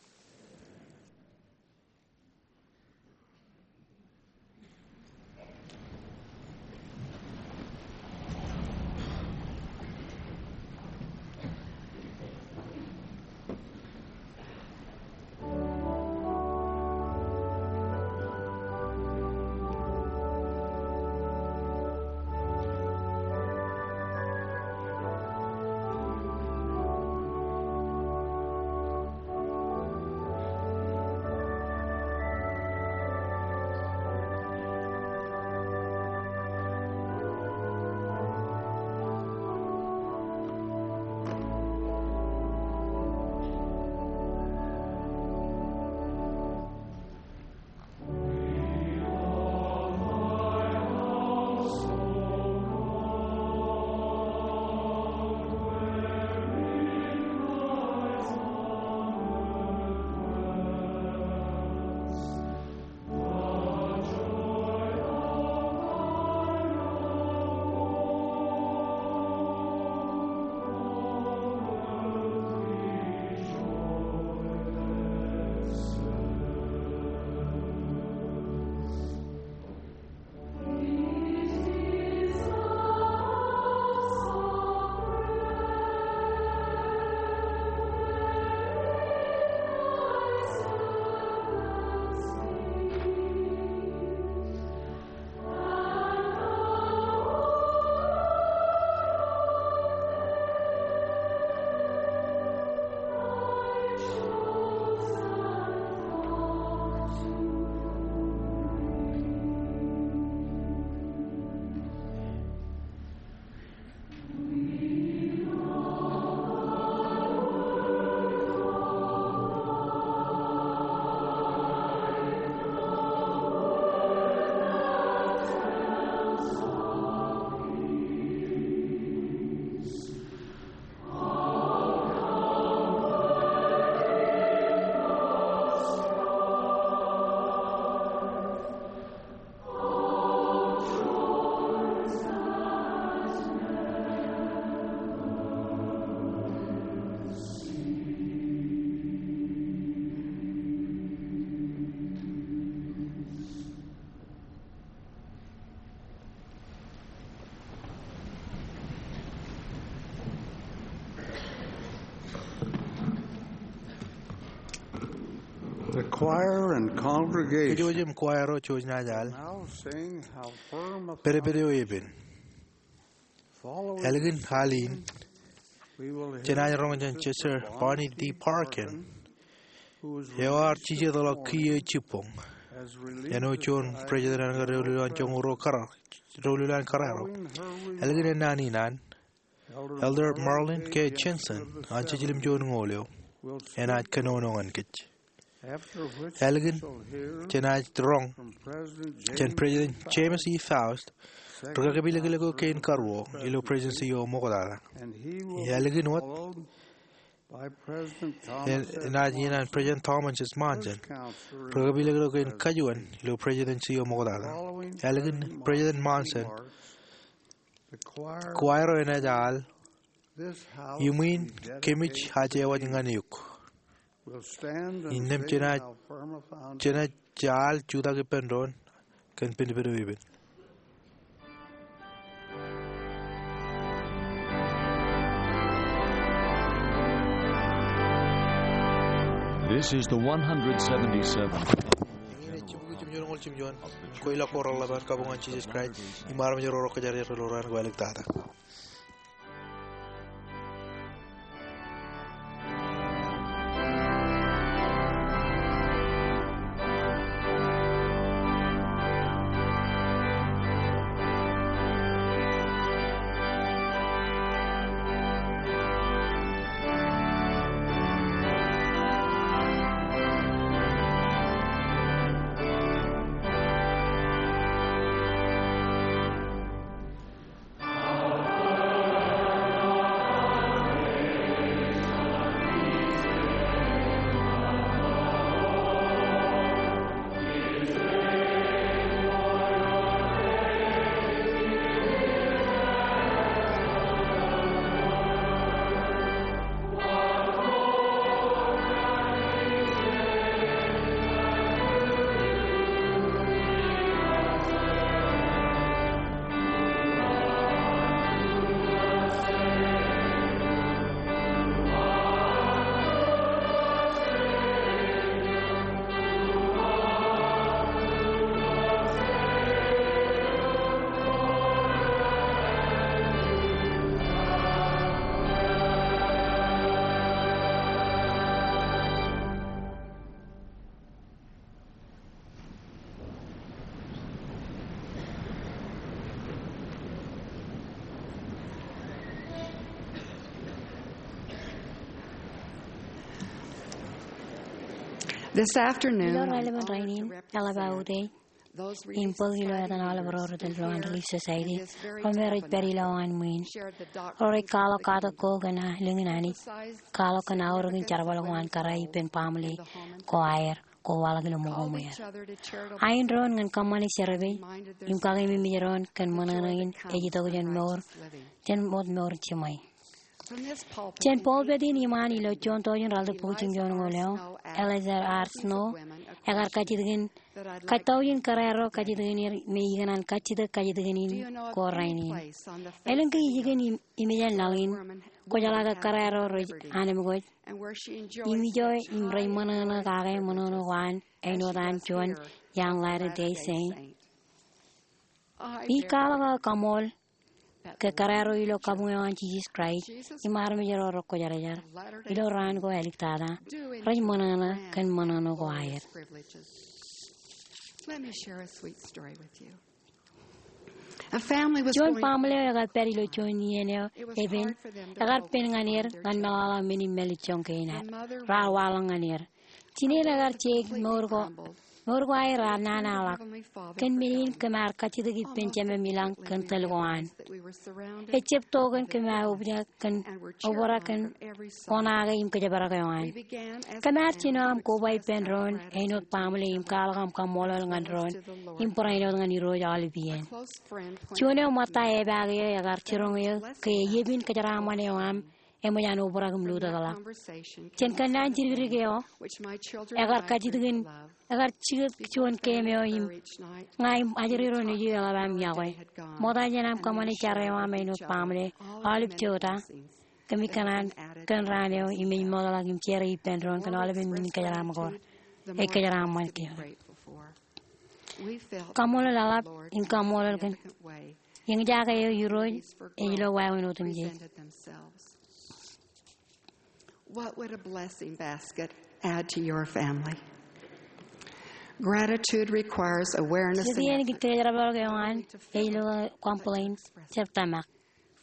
The choir and congregation Kōjwōj im choir ro jouj naaj al. Now sing How Firm a Pedped eo epen. Following Ālikin al in, we will hear jenaaj roñ jān Sister Bonnie D. Parkin, eo ear jijetḷọk kiiō jibboñ āinwōt juon president eo an kōn doulul eo an joñoul ruo kōrā, doulul eo an kōrā ro. Ālikin ennaan in an, Elder Marlin K. Jensen an Jiljilimjuonñoul eo enaaj kōnono ñan kōj. Ālikin, jenaaj roñ jān President James E. Faust ri-kakepilōklōk eo kein karuo ilo Presidency eo ṃoktata. Ālikin wōt, enaaj iien an President Thomas S. Monson ri-kakepilōklōk eo kein kajuon ilo Presidency eo ṃoktata. Ālikin President Monson, choir eo enaaj al, Iuṃwin kōmij aje waj ñan eok. Innām jenaaj, jenaaj al jutak ippān doon kōn pinpin eo epen. This is the one hundred seventy-seventh. Eñin ej jibukwi jimjuon ñoul jimjuon, kweilọk ko reḷap an kabuñ an Jisōs Kraist im armej ro rekwōjarjar ilo raan ko āliktata. This afternoon, ilo raelepen rainin, eḷap aō utiej im bōk ilo etan aolep ro rej tōl ilo an Relief Society, ro me rej pād ilowaan ṃwiin, ro rej kwaḷọk katak ko kōn lōñ in Anij, kwaḷọk kōn aorōkin jerbal ko an kōrā ippān baaṃle ko aer ko waḷọk ilo ṃōko ṃweer. Ain doon ñan kōṃṃane service im kakeememej doon kōn ṃōṇōṇō in ej itok jān mour, jān wōt mour jiṃwe. Jān pulpit in iṃaan ilo juon tọujin ralitōk bukwi jimjuon ñoul eo, Eliza R. Snow ekar kajjitōk in, kajjitōk in kōrā ro, kajjitōk in er me ikōṇaan kajjitōk kajjitōk in ko rainin. Elōñ ke ijin im, im ijeṇ laḷ in, kwōjeḷā ke kōrā ro rej anemkwōj im ijo im rej ṃōṇōṇō kake ṃōṇōṇō ko an āinwōt an juon iaan Latter-day Saint. Ij kwaḷọk aō kaṃool ke kōrā ro ilo kabuñ eo an Jisōs Kraist im armej ro rekwōjarjar ilo raan ko āliktata rej ṃōṇōṇō kōn ṃōṇōṇō ko aer. Let me share a sweet story with you. A family was Juon going baaṃle eo ekar pād ilo juon iien eo epen, ekar pen ñan er ñan meḷọkḷọk men in mālejjoñ kein ad. Raar waḷọk ñan er. Jinien ekar jeik mour ko, mour ko aer raar nana ḷọk. Kōn men in kōm ar kajjitōk ippān Jemem ilañ kōn tōl ko an. Ejab to kōn kōm aō obrak kōn, obrak kōn oṇaake im kōjparok eo an. Kōm ar jino aṃ koba ippān doon āinwōt baaṃle im kwaḷọk aṃ kaṃṃoolol ñan doon im barāinwōt ñan Irooj aolep iien. Juon eo ṃōtta epaak eō ekar jiroñ eō ke eyepin kōjeraaṃṃan eo aṃ eṃōj an obrak im lutōkḷọk. Jān kōnnaan jidikdik eo, ekar kajjitōk in, ekar jikōt juon game eo im ña im ajri ro nejū eḷap aṃ yokwe. Ṃokta jān aṃ kōṃṃane jar eo aṃ āinwōt baaṃle, aolep jota kōmij kōṇaan kōn raan eo im ej mootḷọk im jere ippān doon kōn aolepen men in kōjeraaṃṃan ko, ej kōjeraaṃṃan kōm. Kaṃṃoolol eḷap im kaṃṃoolol kōn eñjake eo Irooj ej lo wāween otemjej. What would a blessing basket add to your family? Gratitude requires awareness. Jet iien kōn jerbal eo an ej lo complain, jab tōmak.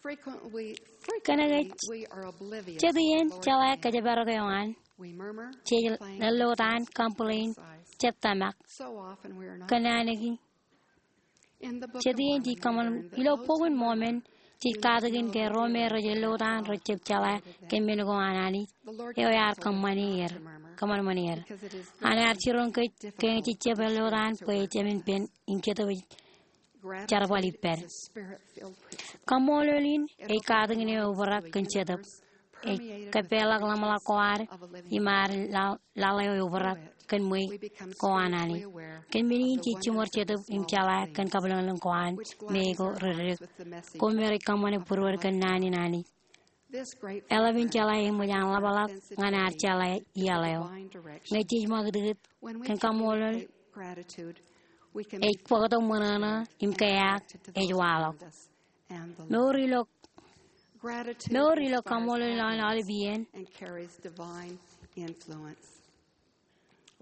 Frequently, kōnke frequently we are oblivious. Jet iien jeḷā kōjparok eo an, we murmur, jej complain, lōtaan, complain, inside, jab tōmak. So often we are not. Kōn naan eo, jet iien jej kōṃṃan ilo Bok in Mormon, jej katakin ke ro me rej lōtaan rej jab jeḷā kōn men ko an Anij eo ear kōṃṃane er, kōṃanṃane er. An ear jiroñ kōj ke jej jab lōtaan bwe ejāmin pen im Jetōb ej jerbal ippād. Kaṃṃoolol in ej katakin eo eobrak kōn Jetōb. Ej kōpeḷḷọk ḷōmṇak ko ad im ad laḷ eo eobrak kōn ṃweiuk ko an Anij. Kōn men in jej jiṃor Jetōb im jeḷā kōn kabwilōñlōñ ko an me ej ko ri dik, ko me rej kōṃṃane būruod kōn naan in Anij. Eḷap in jeḷā eṃōj an ḷapḷọk ñan ad jeḷā iaḷ eo. Ñe jej ṃakūtkūt kōn kaṃṃoolol, ej bōktok ṃōṇōṇō im keaak ej waḷọk. Mour ilo, mour ilo kaṃṃoolol eo an aolep iien.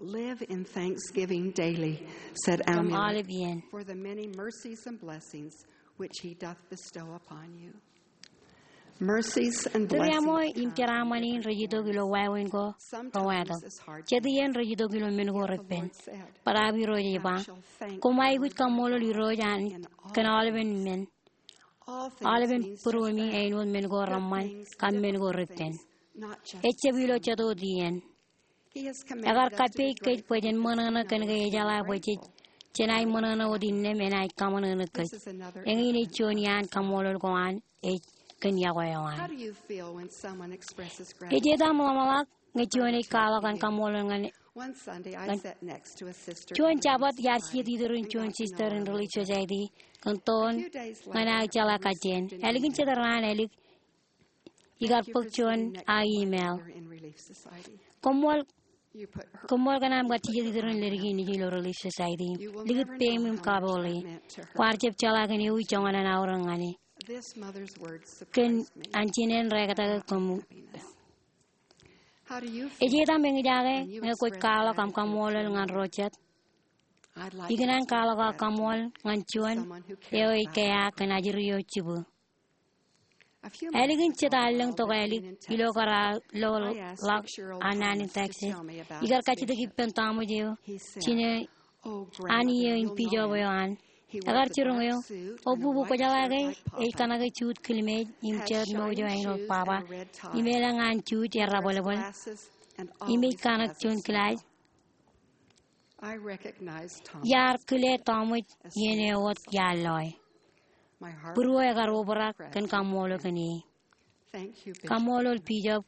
Live in thanksgiving daily, said Amulek, aolep iien, for the many mercies and blessings which he doth bestow upon you. Mercies and blessings. Tūriaṃo im jeraaṃṃan in rej itok ilo wāween ko rewatok. Jet iien rej itok ilo men ko repen. Bōtaab Irooj ej ba, koṃ aikuj kaṃṃoolol Irooj Anij kōn aolepen men. Aolepen būruemi, āinwōt men ko reṃṃan kab men ko repen. Ejjab ilo jet wōt iien. Ekar kappei kōj bwe jen ṃōṇōṇō kōn ke ejeḷā bwe jej, jenaaj ṃōṇōṇō wōt innām enaaj kaṃōṇōṇō kōj. Eñin ej juon iaan kaṃṃoolol ko an ej kōn yokwe eo an. Ej etam ḷōmṇak ñe juon ej kwaḷọk an kaṃṃoolol ñan, ñan juon Jabōt iar jijet iturin juon sister in Relief Society kōn toon ñan aō jeḷā kajjien. Ālikin jet raan ālik ikar bōk juon aō email. Koṃṃool, koṃṃool kōn aṃ kar jijet iturin leddik in ij ilo Relief Society. Likūt peiṃ im kapoole. Kwaar jab jeḷā kōn ewi joñan an aorōk ñan e. Kōn an jinen rekatake koṃ. Ej etam eñjake ñe kwōj kwaḷọk aṃ kaṃṃoolol ñan ro jet? Ikōṇaan kwaḷọk aō kaṃṃoolol ñan juon eo ej keaak kōn ajri eo jibū. Ālikin jet allōñ tok ālik ilo kar aō lo ḷọk an naan in Texas, ikar kajjitōk ippān tọmwōj eo jinō an iiō in bijob eo an. Ekar jiroñ eō, O bubu, kwō jeḷā ke ej kōṇake juit kilmeej im jet ṃouj eo āinwōt baba im elōñ an juit erbōlbōl im ej kōṇak juon glass? Iar kile tọmwōj iien eo wōt iar loe. Būruō ekar obrak kōn kaṃṃoolol kōn e. Kaṃṃoolol Bijob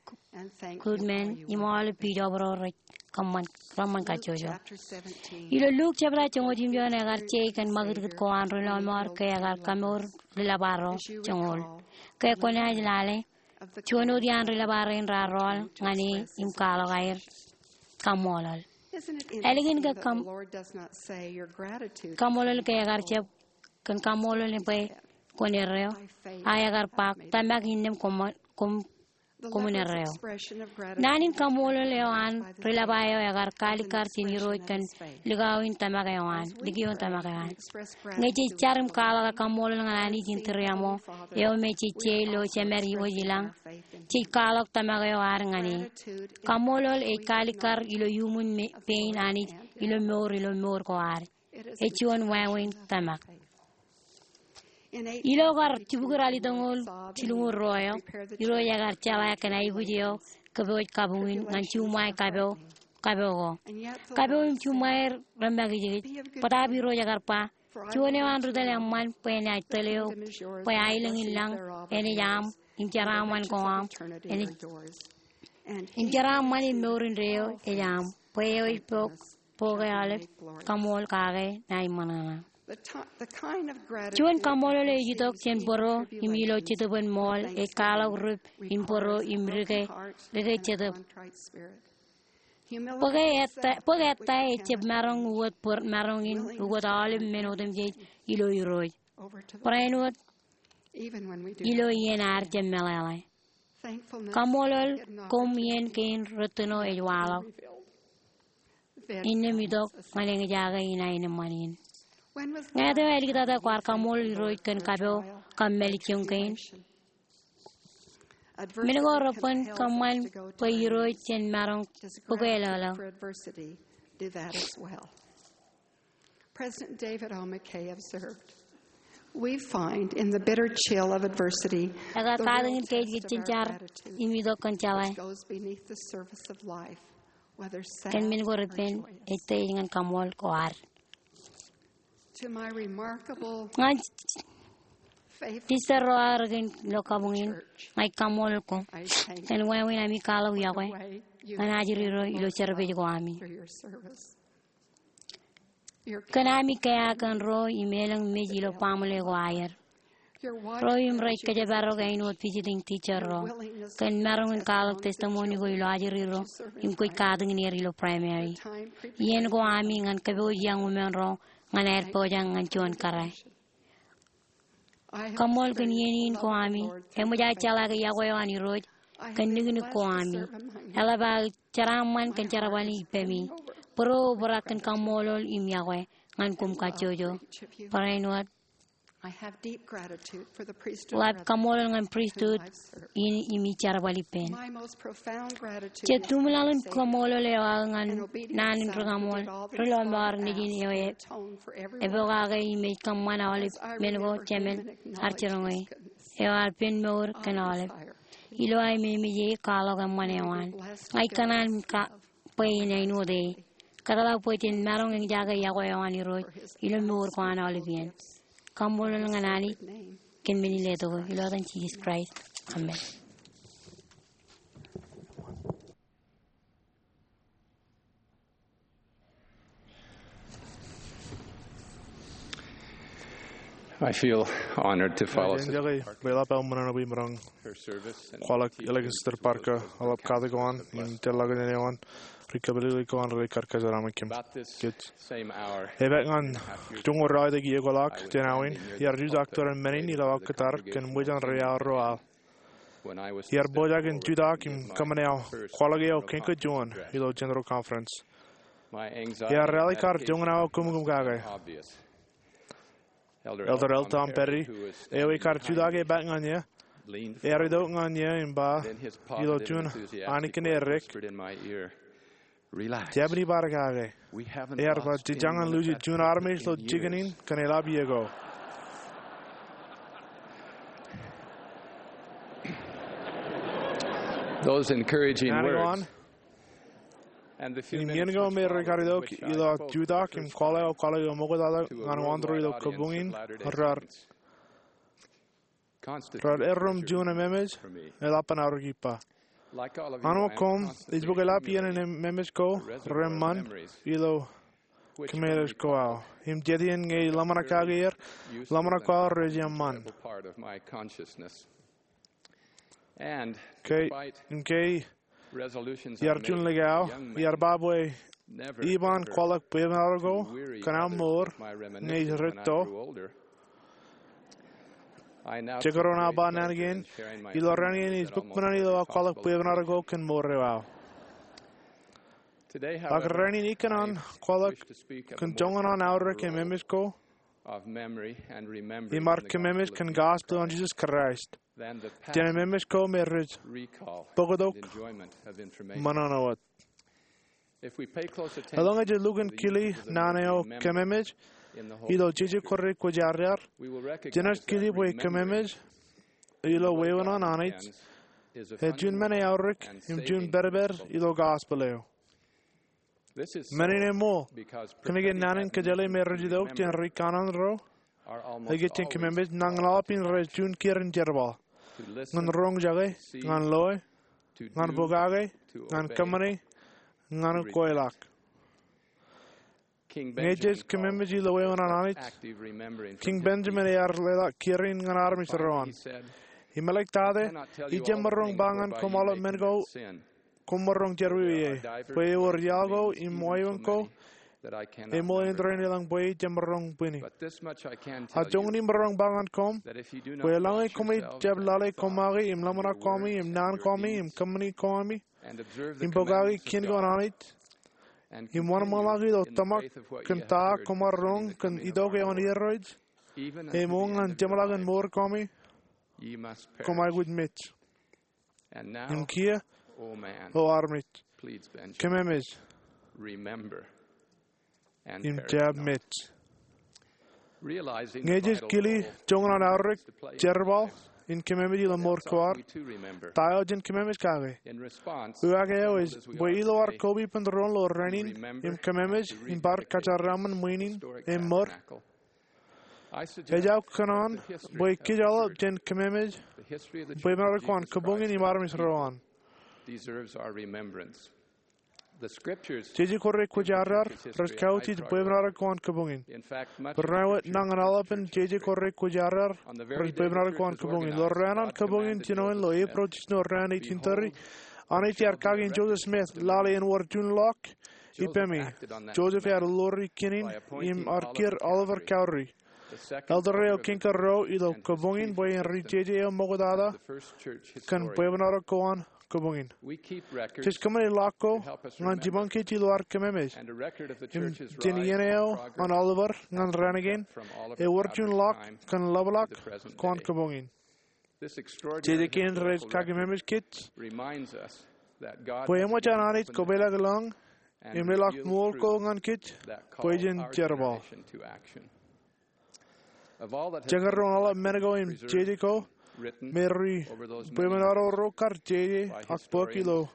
Goodman im aolep bijob ro rej kōṃṃan, reṃṃan kajjojo. Ilo Luk jebta joñoul jimjuon ekar je kōn ṃakūtkūt ko an ri lọmọọr ke ekar kamour ri lōba ro joñoul. Ke kwōnaaj lale, juon wōt iaan ri lōba rein raar rọọl ñan e im kwaḷọk aer kaṃṃoolol. Ālikin ke kaṃ-, kaṃṃoolol ke ekar jab kōn kaṃṃoolol bwe kwōn erreo, a ekar ba, Tōmak innām koṃ, koṃ, koṃwin erreo. Naan in kaṃṃoolol eo an ri lōba eo ekar kaalikkar jān Irooj kōn likao in tōmak eo an, likao in tōmak eo an. Ñe jej jar im kwaḷọk aō kaṃṃoolol ñan Anij in tūriaṃo, eo me jej je ilo jemed wōj ilañ, jej kwaḷọk tōmak eo ad ñan e. Kaṃṃoolol ej kaalikkar ilo iuṃwin me-, pein Anij ilo mour, ilo mour ko ad. Ej juon wāween tōmak. Ilo kar jibukwi ralitōñoul jilñuul ruo eo, Irooj ekar jeḷā kōn aikuj eo kōpooj kabuñ in ñan juṃae kapo, kapo ko. Kapo im juṃae remakijkij. Bōtaab Irooj ekar ba, juon eo an ri tōl eṃṃan bwe enaaj tōl eok, bwe aelōñ in lañ enaaj aṃ, im jeraaṃṃan ko aṃ, enaaj, im jeraaṃṃan im mour indeeo ej aṃ, bwe eo ej bok, bok eo aolep kaṃool kake naaj ṃōṇōṇō. Juon kaṃoolol eo ej itok jān bōro im ilo jetōb in ṃool ej kwaḷọk rip in bōro im dike, dike jetōb. Bōk ettā, bōk ettā ejjab maroñ ukōt bōr-, maroñ in ukōt aolep men otemjej ilo Irooj. Barāinwōt ilo iien ad jab meḷeḷe. Kaṃṃoolol koṃ iien kein rūttoṇo ej waḷọk. Innām itok ñan eñjake in aenōṃṃan in. Ñe ej āliktata kwaar kaṃṃoolol Irooj kōn kapo kab mālejjoñ kein? Men ko reban kōṃṃan bwe Irooj en maroñ bōk e lōḷḷọk. President David O. McKay observed, "We find in the bitter chill of adversity, ekar katakin kōj kajjitōk im itok kōn jeḷā, which goes beneath the surface of life, whether sad kōn men ko reban, ej tōre ñan kaṃṃoolol ko ad." To my remarkable ñan faithful sisters ro aō rikōn ilo kabuñ in, church, ña ij kaṃṃoolol koṃ kōn wāween ami kwaḷọk yokwe ñan ajri ro ilo service ko ami. Kōn ami kea kōn ro im elōñ mej ilo baaṃle ko aer. Ro im rej kōjparok āinwōt visiting teacher ro kōn maroñ in kwaḷọk testimony ko ilo ajri ro im kwōj katakin er ilo primary. Iien ko ami ñan kōpooj iọñ umen ro ñan aer pojak ñan juon kōrā. Kaṃṃoolol kōn iien in ko ami. Eṃōj aō jeḷā ke yokwe eo an Irooj kōn niknik ko ami. Eḷap aō jeraaṃṃan kōn jerbal ippemi. Bōro obrak kōn kaṃṃoolol im yokwe ñan koṃ kajjojo. Barāinwōt, ḷap kaṃṃoolol ñan pristut in im ij jerbal ippān. Jet tuṃlaḷ in kaṃṃoolol eo aō ñan naan in ri-kaṃool ri-lọmọọr nejin eo epokake im ej kōṃṃan aolep men ko jemān ear jiroñ e, eo ear pen mour kōn aolep. Ilo aō memeje kwaḷọk eṃṃan eo an. Ña ij kōṇaan bwe en āinwōt e. Kōtḷọk bwe jen maroñ eñjake yokwe eo an Irooj ilo mour ko an aolep iien. Kaṃṃoolol ñan Anij kōn men in letok eo, ilo etan Jisōs Kraist. Amen. I feel honored to follow Jen jeḷā bwe eḷap aō ṃōṇōṇō bwe imaroñ kwaḷọk elōñ Sister Parker, eḷap kate ko an im tōl ḷọk naan eo an ri-kōpālele ko an rej kar kōjeraaṃṃan kōm. About this same hour, epaak ñan joñoul ralitōk iiō ko ḷọk jān awa in, iar jutak tōre men in ilo aō kōttar kōn ṃōjan ri-aorro aḷ. Iar pojak in jutak im kōṃṃane aō kwaḷọk eo kein ko juon ilo General Conference. Iar ralitōk kar joñan aō kōmkōm kake. Elder L. Tom Perry, eo ekar jutak epaak ñan eō, ear itok ñan eō im ba, ilo juon ankineerek, "Jabdewōt bar kake." Ear ba, "Jej jañin luuji juon armej ilo jikin in kōn eḷap iiō ko." Those encouraging words. Im iien ko me rej kar itok ilo aō jutak im kwaḷọk aō kwaḷọk eo ṃoktata ñan wāntor ilo kabuñ in, raar errōṃ juon ememej eḷap an aorōk ippa. Āinwōt koṃ, ij bōk eḷap iien in ememej ko reṃṃan ilo kōmeḷeḷe ko aō. Im jet iien ñe ij ḷōmṇak kake er, ḷōmṇak ko aō rej eṃṃan. Ke, im ke iar juon ḷọk aō, iar ba bwe iban kwaḷọk bwebwenato ko kōn aō mour ñe ij rūtto. Jekdọọn aō ba naan kein, ilo rainin ij bōk ṃōṇōṇō ilo aō kwaḷọk bwebwenato ko kōn mour eo aō. Ak rainin ikōṇaan kwaḷọk kōn joñan an aorōk ememej ko im ad kōmemej kōn gospel an Jisōs Kraist jān ememej ko me rej bōktok ṃōṇōṇō wōt. Eḷaññe jej lukkuun kile naan eo kōmemej ilo jeje ko rej kwōjarjar, jenaaj kile bwe kōmemej ilo wāween an Anij ej juon men eaorōk im juon pād ilo gospel eo. Men in eṃṃool kōnke naan in kōjjeḷā me rej itok jān ri kanaan ro, ej kōttāik kōmemej nañinmej aolep in rej juon kiiō in jerbal ñan roñjake, ñan loe, ñan pokake, ñan kōṃṃane, ñan kweilọk. Ñe jej kōmemej ilo wāween an Anij, Kiiñ Benjamin ear leḷọk kiiō in ñan armej ro an. Im eḷak tata, ij jab maroñ ba ñan koṃ aolep men ko koṃ maroñ jerọwiwi ie, bwe ewōr iaḷ ko im wāween ko eṃṃool in tōre in elōñ bwe ij jemaroñ bwini. A joñan imaroñ ba ñan koṃ bwe eḷaññe koṃij jab lale koṃake im ḷōmṇak koṃi im naan koṃi im kōṃṃani koṃi im pokake kien ko an Anij im wōnṃaanḷọk ilo tōmak kōn ta koṃ ar roñ kōn itok eo an Irooj, eṃṃool ñan jeṃḷọkin mour koṃi, koṃ aikuj mej. Im kiiō, O armej, kōmemej im jab mej. Ñe jej kile joñan an aorōk jerbal in kōmemej ilo mour ko ad, ta eo jen kōmemej kake? Uwaak eo ej bwe ilo ad koba ippān doon ilo rainin im kōmemej im bar kōjeraṃṃan ṃwiin im ṃōd, ejako kōṇaan bwe kōj aolep jen kōmemej bwebwenato ko an kōbuñin im armej ro an. Jeje ko re kwōjarjar rej kautiej bwebwenato ko an kōbuñin. Barāinwōt nañinmej aolepān jeje ko re kwōjarjar rej bwebwenato ko an kōbuñin. Ilo raan an kōbuñin jinoin ilo April jiljino raan eighteen thirty, Anij ear kake in Joseph Smith lale en wōr juon ḷọk ippemi. Joseph ear ḷoori kinin im ear kiiō Oliver Cowdery, elder eo kiiñ kōrā ilo kōbuñin bwe en ri jeje eo ṃoktata kōn bwebwenato ko an kōbuñin. Jej kōṃṃane ḷọk ko ñan jibañ kōj ilo ad kōmemej im jān iien eo an Oliver ñan raan kein, ewōr juon ḷọk kōn ḷapḷọk ko an kōbuñin. Jeje kein rej kakememej kōj bwe eṃōj an Anij kopeḷḷọk lōñ im leḷọk ṃool ko ñan kōj bwe jen jerbal. Jekdọọn aolep men ko im jeje ko me ri bwebwenato ro kar jeje ak bōk ilo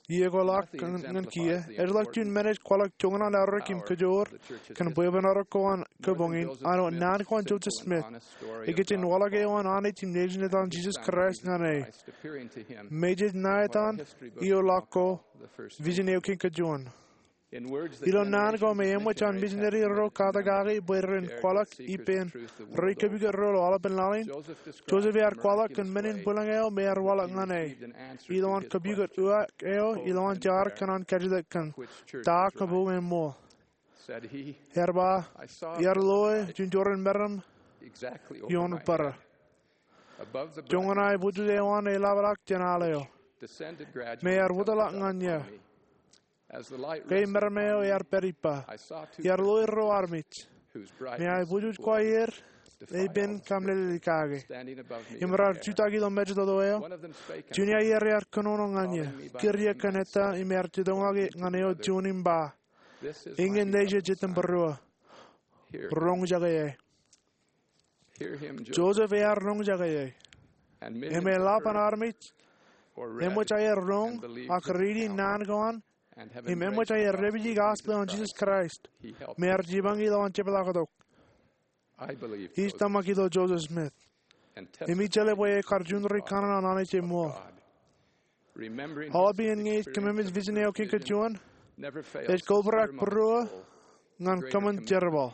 iiō ko ḷọk ñan kiiō, ej ḷọk juon men ej kwaḷọk joñan an aorōk im kōjoor kōn bwebwenato ko an kōbuñin, āinwōt naan ko an Joseph Smith, ikijjien waḷọk eo an Anij im Nejin etan Jisōs Kraist ñan e. Mejej ṇa etan ioḷọk ko, vision eo kein kajuon. Ilo naan ko me eṃōj an misineri ro katak kake bwe ren kwaḷọk ippān ri kōpukot ro ilo aolepān laḷ in, Joseph ear kwaḷọk kōn men in bwilōñ eo me ear waḷọk ñan e ilowaan kōpukot uwaak eo ilowaan jaar kōn an kajjitōk kōn ta kōbuñin ṃool. Ear ba, iar loe juon jorrāān meram ioon bōrā. Joñan aebujej eo an eḷapḷọk jān al eo, me ear wōtlọk ñan eō. Ke meram eo ear pād ippa, iar loe ruo armej me aebujej ko aer epen kamlelik kake im raar jutak ilo mejatoto eo. Juon iaer ear kōnono ñan eō, kūr eō kōn ettā im ear jitōñḷọk ñan eo juon im ba, iññā Nejū Jetōb Būruō, roñjake e. Joseph ear roñjake e. Im eḷap an armej eṃōj aer roñ ak riiti naan ko an im eṃōj aer dāpiji gospel eo an Jisōs Kraist me ear jipañ ilowaan jepḷaaktok. Ij tōmak ilo Joseph Smith im ij jeḷā bwe e kar juon ri kanaan an Anij eṃṃool. Aolep iien ñe ij kōmemej vision eo kein kajuon, ej kobrak būruō ñan kōṃṃan jerbal.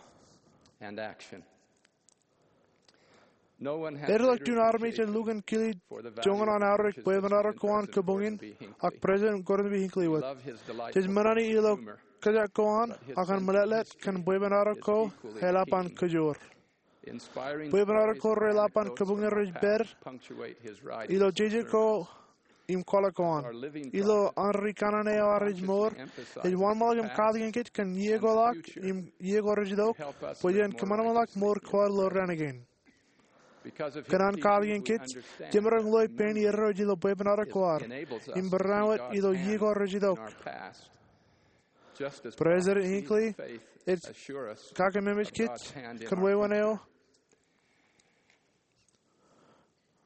Eḷap juon armej ej lukkuun kile joñan an aorōk bwebwenato ko an kōbuñin ak President Gordon B. Hinckley wōt. Jej ṃōṇōṇō ilo kōjak ko an ak an meḷeḷe kōn bwebwenato ko eḷap an kōjoor. Bwebwenato ko reḷap an kōbuñin rej pād ilo jeje ko im kwaḷọk ko an. Ilo an ri kanaan eo ad ej mour, ej wōnṃaanḷọk im katakin kōj kōn iiō ko ḷọk im iiō ko rej itok bwe jen kōṃanṃanḷọk mour ko ad ilo raan kein. Kōn an katakin kōj, jemaroñ loe pein Irooj ilo bwebwenato ko ad im barāinwōt ilo iiō ko rej itok. President Hinckley ej kakememej kōj kōn wāween eo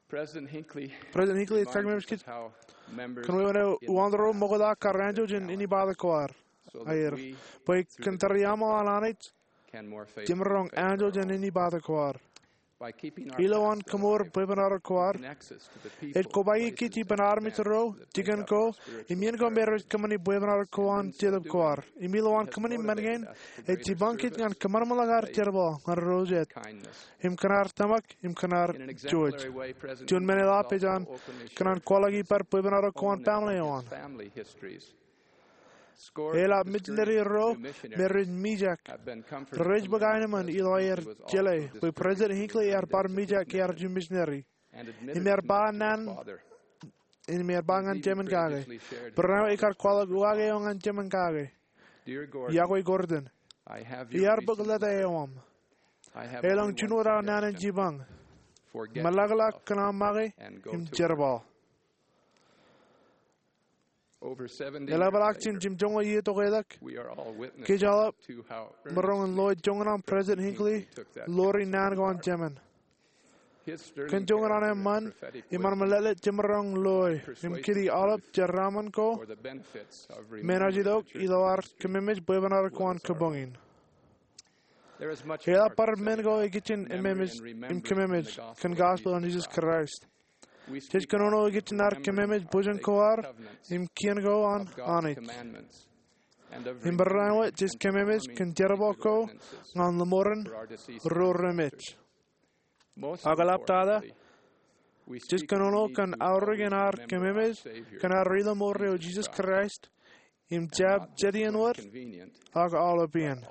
President Hinckley ej kakememej kōj kōn wāween eo uwaan ro ṃokta kar anjọ jān inepata ko ad aer, bwe kōn tōre aṃ an Anij, jemaroñ anjọ jān inepata ko ad. Ilowaan kōṃṃool bwebwenato ko ad, ej kobaiki kōj ippān armej ro, jikin ko, im iien ko me rej kōṃṃani bwebwenato ko an Jetōb ko ad. Im ilowaan kōṃṃani men kein, ej jipañ kōj ñan kōṃanṃanḷọk ad jerbal ñan ro jet im kōn ad tōmak im kōn ad jouj. Juon men eḷap ej an kōn an kwaḷọk ippād bwebwenato ko an family eo an. Eḷap misineri ro me rej mijak rej bōk aenōṃṃan ilo aer jeḷā bwe President Hinckley ear bar mijak ke ear juon misineri. Im ear ba ñan, im ear ba ñan jemān kake. Barāinwōt ekar kwaḷọk uwaak eo ñan jemān kake. Iọkwe Gordon, iar bōk lōta eo aṃ. Elōñ juon wōt aō naan in jipañ. Meḷọkḷọk kōn aṃ make im jerbal. Eḷapḷọk jān jimjuonñoul iiō tok elōñ, kōj aolep maroñ in lo joñan aṃ President Hinckley ḷoori naan ko an jemān. Kōn joñan an eṃṃan im an meḷeḷe jemaroñ loe im kōtḷọk aolep jeraaṃṃan ko me enaaj itok ilo ad kememej bwebwenato ko an kabuñ in. Eḷap bar men ko ikijjien ememej im kememej kōn gospel an Jesus Christ. Jej kōnono ikijjien ad kememej bōjjān ko ad im kien ko an Anij. Im barāinwōt jej kememej kōn jerbal ko ñan lōṃoren ro remej. Ak eḷaptata, jej kōnono kōn aorōk in ad kememej kōn ad ri-lōṃoor eo Jesus Christ im jab jet iien wōt ak aolepān.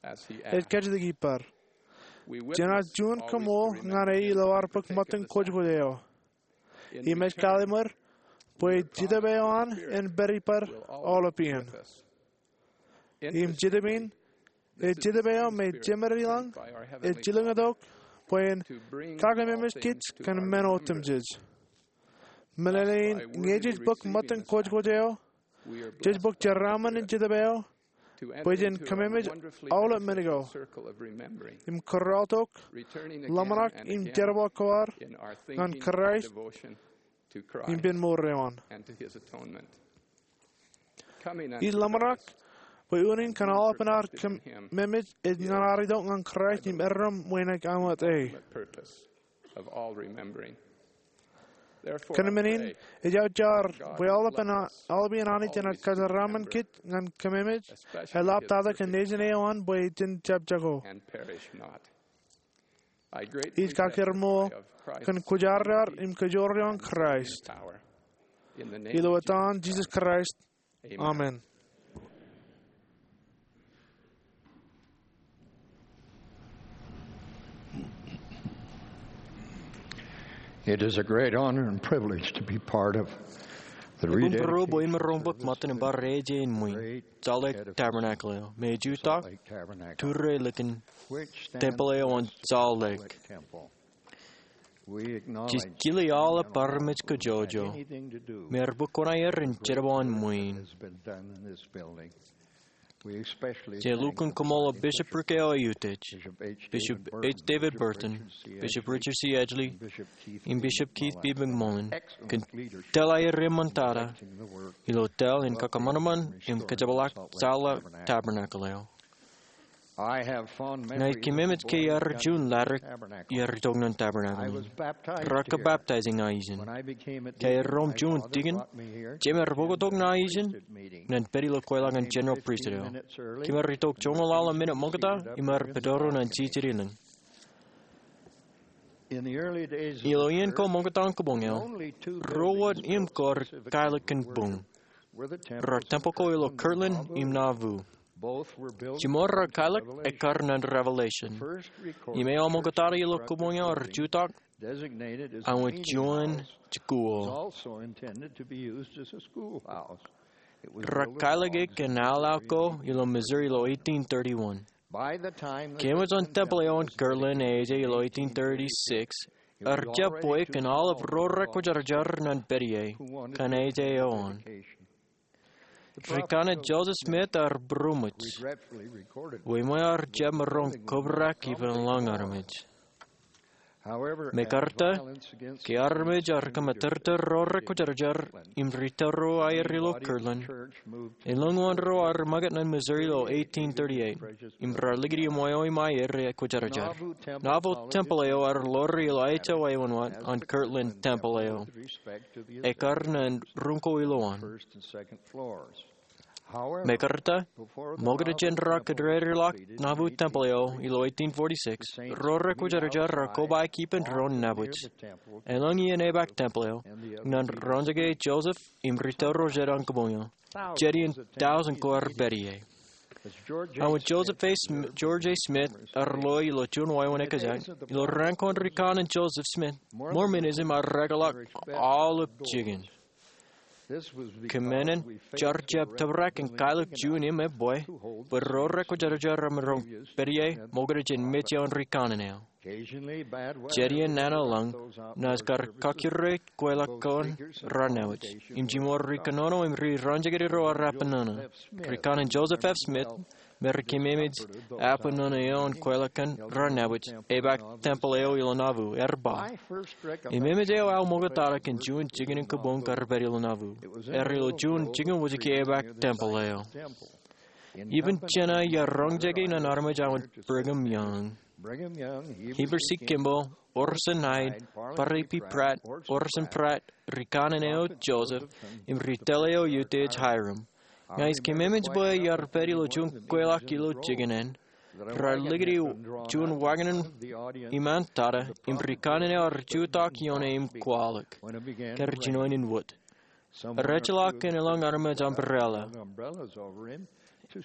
Ej kajjitōk ippaṃ. Jenaaj juon kōṃṃool ñan e ilo ad bōk ṃōttan kwōjkwōj eo. Im ej kallimur bwe Jetōb eo an en pād ippaṃ aolepān. Im Jetōb in ej Jetōb eo me Jemād ilañ ej jilkintok bwe en kakememej kōj kōn men otemjej. Meḷeḷein ñe jej bōk ṃōttan kwōjkwōj eo, jej bōk jeraaṃṃan in Jetōb eo bwe jen kememej aolep men ko im kōrọọltok ḷōmṇak im jerbal ko ad ñan Kraist im ippān mour eo an. Ij ḷōmṇak bwe unin kōn aolepān ad kememej ej ñan ad itok ñan Kraist im erreo ṃwein ej aṃ wōt e. Kōn men in, ej aō jar bwe aolepān, aolepān Anij enaaj kajeraaṃṃan kōj ñan kememej, eḷaptata kōn Nejin eo an bwe jen jab jako. Ij kakkure ṃool kōn kwōjarjar im kōjoor eo an Kraist. Ilo etan Jesus Christ, amen. It is a great honor and privilege to be part of the Ebuñ bōro bwe imaroñ bōk ṃōttan in bar eje in ṃwiin Salt Lake Tabernacle eo me ej jutak tūrre likin tempel eo an Salt Lake. Jej kile aolep armej kajjojo me ear bōk kuṇaer in jerbal in ṃwiin. Jej lukkuun koṃṃool Bishop Rick A. Utej, Bishop H. David Burton, Bishop Richard C. Edgley, im Bishop Keith B. McMullin kōn tōl aer eṃṃantata ilo tōl in kakōṃanṃan im kajepḷaak Salt Lake Tabernacle eo. Ña ij kememej ke iar juon laddik iar itok ñan Tabernacle in. Raar kabaptaij ña ijin. Ke aer rom juon tikin, jemād bōktok ña ijin ñan pād ilo kweilọk in General Priesthood eo. Kemād itok joñoul ḷalem minit ṃokta im bar pād ro ñan jijet ilañ. Ilo iien ko ṃokta in kabuñ eo, ruo wōt im ko rej kaelōk kōn buñ. Raar tempel ko ilo Kirtland im Nauvoo. Jiṃor raar kaelōk ekkar ñan Revelation. Im eo ṃoktata ilo kabuñ eo ear jutak aṃ juon jikuuḷ. Raar kaelōk e kōn aolep ko ilo Missouri ilo eighteen thirty-one. Ke eṃōj an tempel eo an Kirtland eje ilo eighteen thirty-six, ear jab bwe kōn aolep ro rekwōjarjar ñan pād ie kōn eje eo an. Ri-Kanan Joseph Smith ear būroṃōj, bwe eṃṃan ear jab maroñ kobrak ippān lañ armej. Mekarta, ke armej ear kōṃatōrtōr ro rekwōjarjar im ri-tōro aer ilo Kirtland, elōñ wōn ro ear ṃōkaj ñan Missouri ilo eighteen thirty-eight, im raar likūti im wāween aer ekwōjarjar. Nauvoo tempel eo ear ḷoori ilo ājmour eo an Kirtland tempel eo, ekkar ñan ruñ ko ilowaan. Mekarta, ṃokta jān ro kōdedeḷọk nabu tempeḷ eo ilo eighteen forty-six, ro rekwōjarjar rar kobaik ippān doon nabōj. Elōñ iien epaak tempeḷ eo, ñan ro ejjeḷọk Joseph im ri tōl ro jet an kōbuñ eo. Jet iien tọujin ko ear pād ie. An Joseph A. Sm-, George A. Smith ear lo ilo juon wāween ekkejak, ilo raan ko an rikanaan Joseph Smith, Mormonism ear ekḷọk aolep jikin. Kōṃṃan in jar jab tōprak in kaelōk juon im ebwe, bwe ro rekwōjarjar remaroñ pād ie ṃokta jān mej eo an rikanaan eo. Jet iien nana lañ, naaj kar kakkure kweilọk ko an raan nabōj. Im jiṃor ri kōnono im ri raunjekdọọn ro ear epenōnō. Rikanaan Joseph F. Smith, me rej kememej epenōnō eo an kweilọk ko an raan nabōj, epaak tempeḷ eo ilo Nauvoo, ear ba, ememej eo aō ṃoktata kōn juon jikin in kōbuñ kar pād ilo Nauvoo. Ear ilo juon jikin wōjke epaak tempeḷ eo. Ippān jeṇe iar roñjake ñan armej an Brigham Young. Heber C. Kimball, Orson Hyde, Parley P. Pratt, Orson Pratt, rikanaan eo Joseph, im ri tōl eo Eutage Hyrum. Ña ij kememej bwe iar pād ilo juon kweilọk ilo jikin eṇ, raar likūti juon wagon iṃaan tata, im rikanaan eo ear jutak ioon e im kwaḷọk. Kar jinoin in wōt. Rej ḷak kōn elōñ armej umbrella.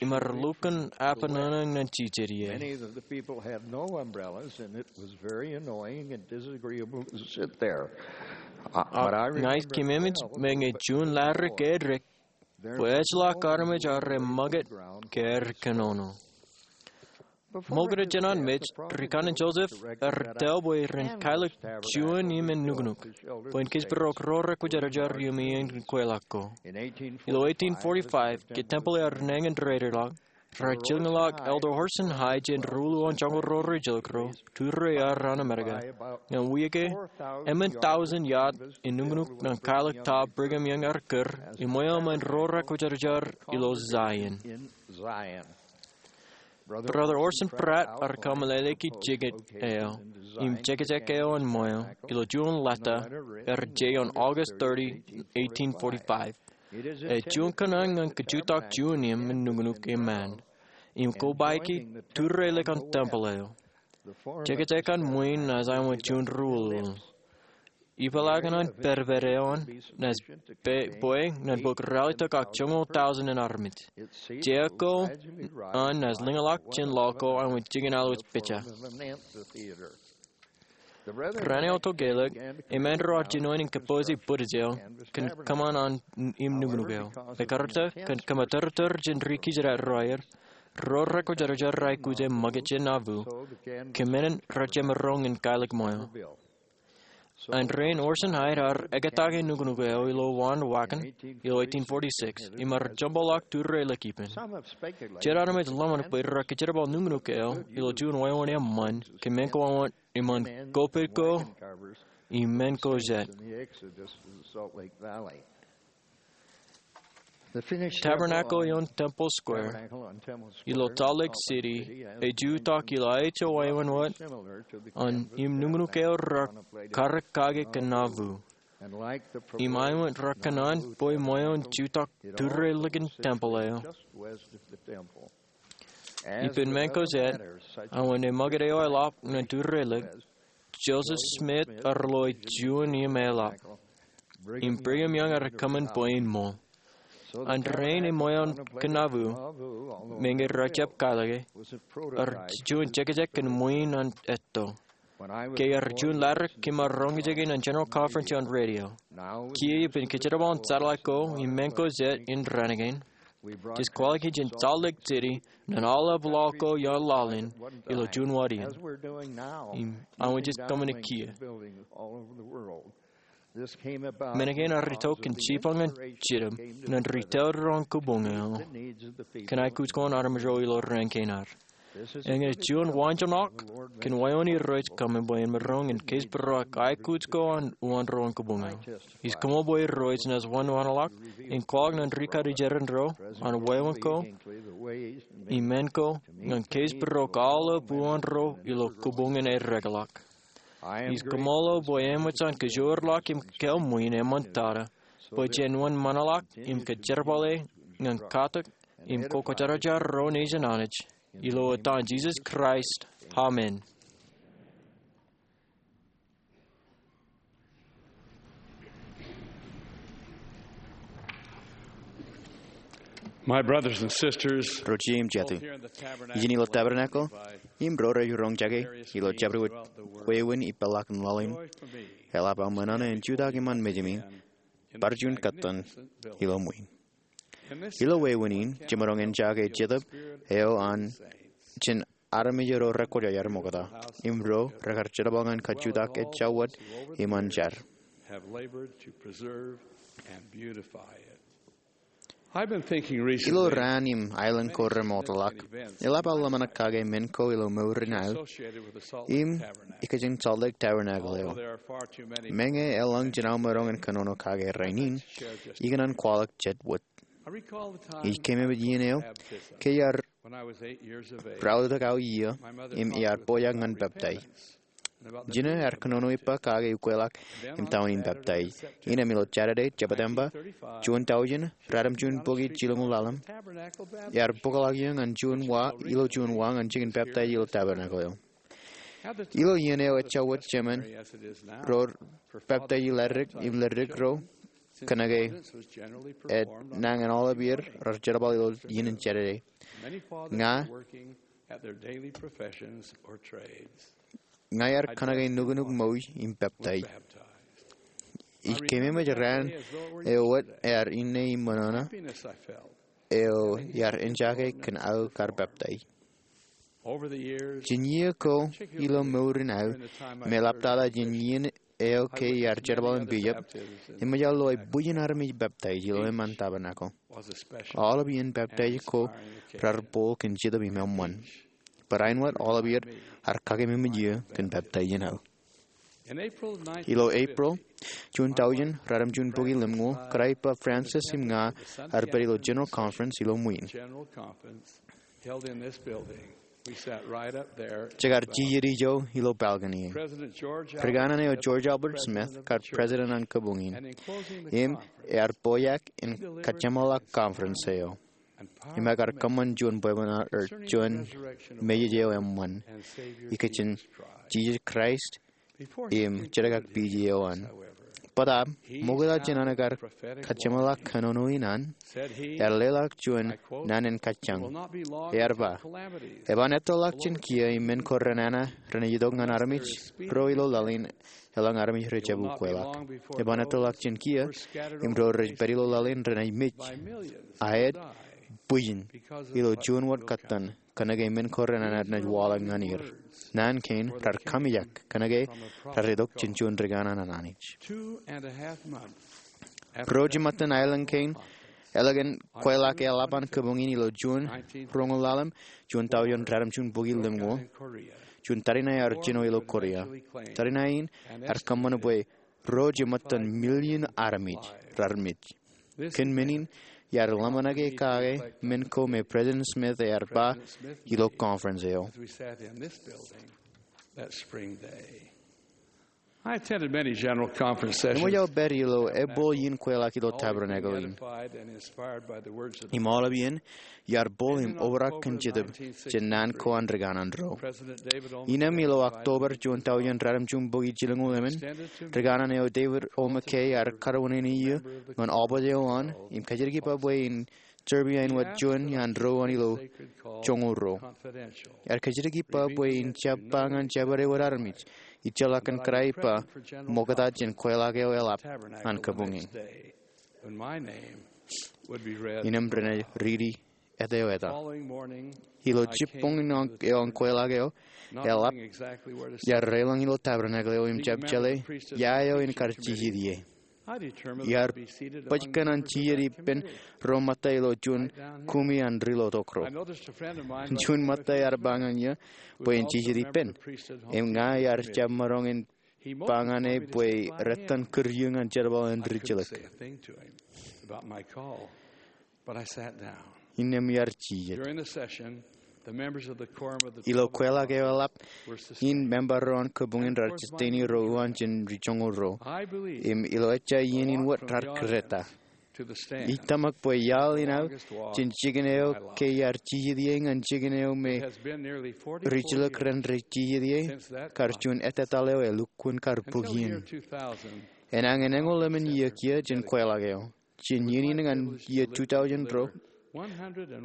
Im ear lukkuun epenōnō ñan jijet ie. Many of the people had no umbrellas, and it was very annoying and disagreeable to sit there. Uh, but I remember, ña ij kememej me ñe juon ladik eddek, bwe ejjeḷọk armej arro ṃakūt ke aer kōnono. Ṃokta jān an mej, rikanaan Joseph ear tōl bwe ren kaelōk juon im en nuknuk, bwe en kōjparok ro rekwōjarjar iuṃwin kweilọk ko. Ilo eighteen forty-five, ke tempeḷ eo ear nañin dedeḷọk, rej jilkinḷọk Elder Orson Hyde jān ruo ḷọk joñoul ro rej jilkinḷọk, turre ear an Amerika, ñan wiik e, emān tọujin yad in nuknuk ñan kaelōk ta Brigham Young ear kūr, im eo emān ro rekwōjarjar ilo Zion. Brother Orson Pratt ear kaṃṃoolol jikin eo im jekjek eo an ṃweo ilo juon leta ear je ioon August thirty, eighteen forty-five. Ej juon kōṇaan ñan kajutak juon im en nuknuk iṃaan im kobaiki turreilik an tempeḷ eo. Jekjek an ṃwiin naaj aṃ juon ruo ḷọk. Ipeḷaakin an pedped eo an naaj bwe ñan bōk ralitōk ak joñoul tọujin in armej. Jea ko an naaj lōñḷọk jān ḷọk ko aṃ jikin alwōj pija. Raan eo tokālik, eṃṃan ro ar jinoin in kōpooje bwidej eo kōn kōṃṃan an im nuknuk eo. Mekarta kōn kōmatōrtōr jān ri kijjien ro aer, ro rekwōjarjar rej aikuj e ṃakūt jān Nauvoo, kōmān in rej jemaroñ in kaelōk ṃweo. An rein Orson Hyde ear ekōtake nuknuk eo ilo wāween wagon ilo eighteen forty-six, im ear joñoul ḷọk turreilik ippān. Jet armej ḷōmṇak bwe rej kōjerbal nuknuk eo ilo juon wāween eṃṃan, kōmān ko an eṃṃan kopet ko im men ko jet. Tabernacle ioon Temple Square ilo Salt Lake City ej jutak ilo aeto wāween wōt an im nuknuk eo rej karōk kake kōn Nauvoo. Im aeto rej kōṇaan bwe ṃweo en jutak turreilik in tempeḷ eo. Ippān men ko jet, aō eṃṃakūt eo eḷap ñan turreilik, Joseph Smith ear lo juon im eḷap. Im Brigham Young ear kōṃṃan bwe en ṃool. An rein eṃṃan kōn Nauvoo, meñe rej jab kaelōke, ear juon jekjek kōn ṃwiin an etto. Ke ear juon ladik im ear roñjake ñan General Conference ioon radio. Kiiō ippān kōjerbal satellite ko im men ko jet in raan kein, jej kwaḷọk e jān Salt Lake City ñan aolep ḷọk ko ioon laḷ in ilo juon wāween. Im aō jej kōṃṃane kiiō. Men kein ear itok kōn jipañ in jitōb ñan ri tōl ro an kōbuñ eo kōn aikuj ko an armej ro ilo raan kein ad. Eñin juon waanjoñak kōn wāween Irooj kōṃṃan bwe en maroñ in kōjparok aikuj ko an uwaan ro an kōbuñ eo. Ij koṃṃool bwe Irooj naaj wōnṃaanḷọk in kwaḷọk ñan ri kajjitōk ro an wāween ko im men ko ñan kōjparok aolep uwaan ro ilo kōbuñ in eddekḷọk. Ij koṃṃool bwe eṃōj an kajoor ḷọk im kōṃṃan eṃṃan tata bwe jen wōnṃaanḷọk im kōjerbale ñan katak im kokwōjarjar ro nejin Anij, ilo etan Jisōs Kraist, amen. My brothers and sisters, ro jet im jatū, both here in the tabernacle, ijin ilo tabernacle im ro rej roñjake ilo jabdewōt wāween ippān laḷ in, eḷap aō ṃōṇōṇō in jutak iṃaan mejāmi bar juon kōttan ilo ṃwiin. Ilo wāween in, jemaroñ in jake Jetōb eo an jān armej ro rekwōjarjar ṃokta im ro rekar jerbal ñan kajutak ejja wōt iṃaan jar. Have labored to preserve and beautify it. I've been thinking recently. Ilo raan im aelōñ ko remootḷọk, eḷap aō ḷōmṇak kake men ko ilo mour in aō im ikijjien Salt Lake Tabernacle eo. Meñe elōñ jān aō maroñ in kōnono kake rainin, ikōṇaan kwaḷọk jet wōt. Ij keememej iien eo ke iar raotak aō iiō im iar pojak ñan peptaij. Jino ear kōnono ippa kake ukweḷọk im doon in peptaij. Innām ilo Jādede, Jeptemba, juon tọujin ratimjuon bukwi jilñuul ḷalem, ear bōkḷọk iiō ñan juon wa, ilo juon wa ñan jikin peptaij ilo tabernacle eo. Ilo iien eo ejja wōt jemān ro peptaij leddik im leddik ro, kōnke ej nañin aolep er rej jerbal ilo iien in Jādede. Ña, ña iar kōnke nuknuk ṃōj im peptaij. Ij keememej raan eo wōt ear inne im ṃōṇōṇō eo iar enjake kōn aō kar peptaij. Jān iiō ko ilo mour in aō, im eḷaptata jān iien eo ke iar jerbal in pijab, eṃōj aō loe bwijin armej peptaij ilo eṃṃan tabernacle. Aolep iien peptaij ko rar bōk kōn Jetōb im eṃṃan. Barāinwōt aolep er ar kakeememej iiō kōn peptaij in aō. Ilo Epril, juon tọujin ratimjuon bukwi limñuul, kōrā ippa Francis im ña ar pād ilo General Conference ilo ṃwiin. Jekar jijet ijo ilo balcony e. Ri kanaan eo George Albert Smith kar president an kabuñ in, im ear pojak in kajjeṃḷọk conference eo im ekar kōṃṃan juon bwebwenato, juon message eo eṃṃan ikijjien Jisōs Kraist im Jetōb Piij eo an. Bōtab, ṃokta jān an ekar kajjeṃḷọk kōnono in an, ear leḷọk juon naan in kajjañ. Ear ba, eban ettoḷọk jān kiiō im men ko renana renaaj itok ñan armej ro ilo laḷ in eḷaññe armej rej jab ukweḷọk. Eban ettoḷọk jān kiiō im ro rej pād ilo laḷ in renaaj mej. Aet, bwijin, ilo juon wōt kōttan, kōnke men ko renana enaaj waḷọk ñan er. Naan kein rar kamijak kōnke rar itok jān juon ri kanaan an Anij. Ruo jemātan aelōñ kein, ālikin kweilọk eḷap an kabuñ in ilo June roñoul ḷalem, juon tọujin ratimjuon bukwi limñoul, juon tariṇae ear jino ilo Korea. Tariṇae in ear kōṃṃan bwe ruo jemātan million armej rar mej. Kōn men in, iar ḷōmṇak e kake men ko me President Smith ear ba ilo conference eo. I attended many general conference sessions. Eṃōj aō pād ilo ebooḷ iien kweilọk ilo tabernacle in. Im aolep iien, iar booḷ im obrak kōn Jetōb jān naan ko an ri kanaan ro. Innām ilo October juon tọujin ratimjuon bukwi jilñoul emān, ri kanaan eo David O. McKay ear kōrā wōṇāān iiō ñan aobōt eo an im kajjitōk ippa bwe en service āinwōt juon iaan ro an ilo joñoul ruo. Ear kajjitōk ippa bwe en jab ba ñan jabdewōt armej ijjeḷọk kōn kōrā ippa ṃokta jān kweilọk eo eḷap an kabuñ in. Innām renaaj riiti etaeo eta. Ilo jibboñ in eo an kweilọk eo eḷap, iar reiḷọñ ilo tabernacle eo im jab jeḷā ia eo en kar jijet ie. Iar bōjkan an jijet ippān ro ṃōtta ilo juon kumi an ri lotok ro. Juon ṃōtta ear ba ñan iiō bwe en jijet ippān, im ña iar jab maroñ in ba ñan e bwe retten kūr iiō ñan jerbal in rijjilōk. Innām iar jijet. Ilo kweilọk eo eḷap in, member ro an kabuñ in rar jisteini ro uwaan jān ri joñoul ruo. Im ilo ejja iien in wōt rar kūreta. Ij tōmak bwe iaḷ in aō jān jikin eo ke iar jijet ie ñan jikin eo me rijilōk ren rej jijet ie kar juon ettetaḷ eo elukkuun kar bōk iien. Enañin eñoul emān iiō kiiō jān kweilọk eo, jān iien in ñan iiō two thousand ruo,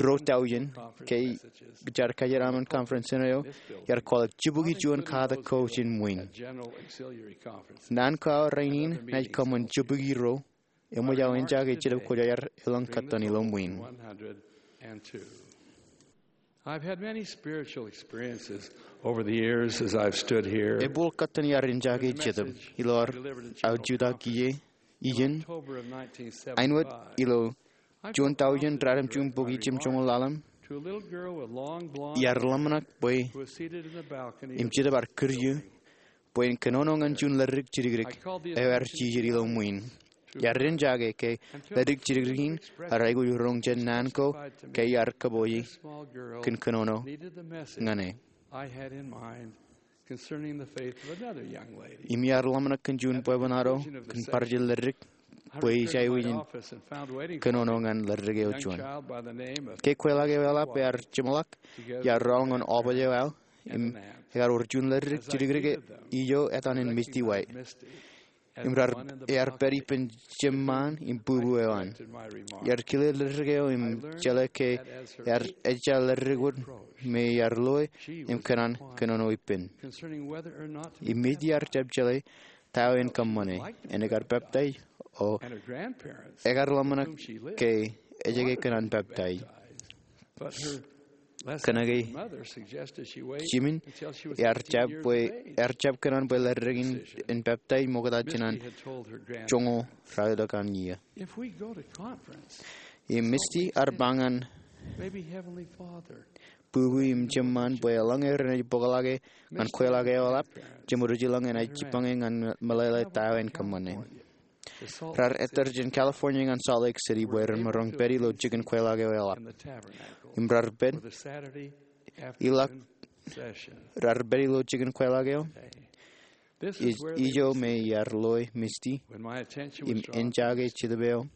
ruo tọujin, ke jaar kajeraṃṃan conference eo, iar kwaḷọk jibukwi juon katak ko jān ṃwiin. Naan ko aō rainin ej kōṃṃan jibukwi ruo, eṃōj aō eñjake Jetōb Kwōjarjar elōñ kōttan ilo ṃwiin. I've had many spiritual experiences over the years as I've stood here. Ebooḷ kōttan iar eñjake Jetōb ilo aō jutak ie iien. Āinwōt ilo juon tọujin ratimjuon bukwi jimjuonñoul ḷalem, iar ḷōmṇak bwe im Jetōb ear kūr eō bwe in kōnono ñan juon ledik jidikdik eo ear jijet ilo ṃwiin. Iar eñjake ke ledik jidikdik in ear aikuj roñ jān naan ko ke iar kōpooje kōn kōnono ñan e. Im iar ḷōmṇak kōn juon bwebwenato kōn bar jel ledik bwe ij aikuj in kōnono ñan ledik eo juon. Ke kweilọk eo eḷap ear jeṃḷọk, iar rọọl ñan ọbōj eo aō, im ekar wōr juon ledik jidikdik ijo etan in Misty White. Im raar, ear pād ippān jemṃaan im bubu eo an. Iar kile ledik eo im jeḷā ke ear ejja ledik wōt me iar loe im kōṇaan kōnono ippān. Im Misty ear jab jeḷā ta eo en kōṃṃane, en ekar peptaij, o ekar ḷōmṇak ke ejjake kōṇaan peptaij. Kōnke jimin ear jab bwe, ear jab kōṇaan bwe ledik in en peptaij ṃokta jān an joñoul ralitōk an iiō. Im Misty ear ba ñan bubu im jemṃaan bwe eḷaññe renaaj bōkḷọk e ñan kweilọk eo eḷap, jeṃ rujilañ enaaj jibboñ e ñan meḷeḷe ta eo en kōṃṃane. Raar ettōr jān California ñan Salt Lake City bwe ren maroñ pād ilo jikin kweilọk eo eḷap. Im raar pād, ilọk, raar pād ilo jikin kweilọk eo. Ij, ijo me iar loe Misty im eñjake Jetōb eo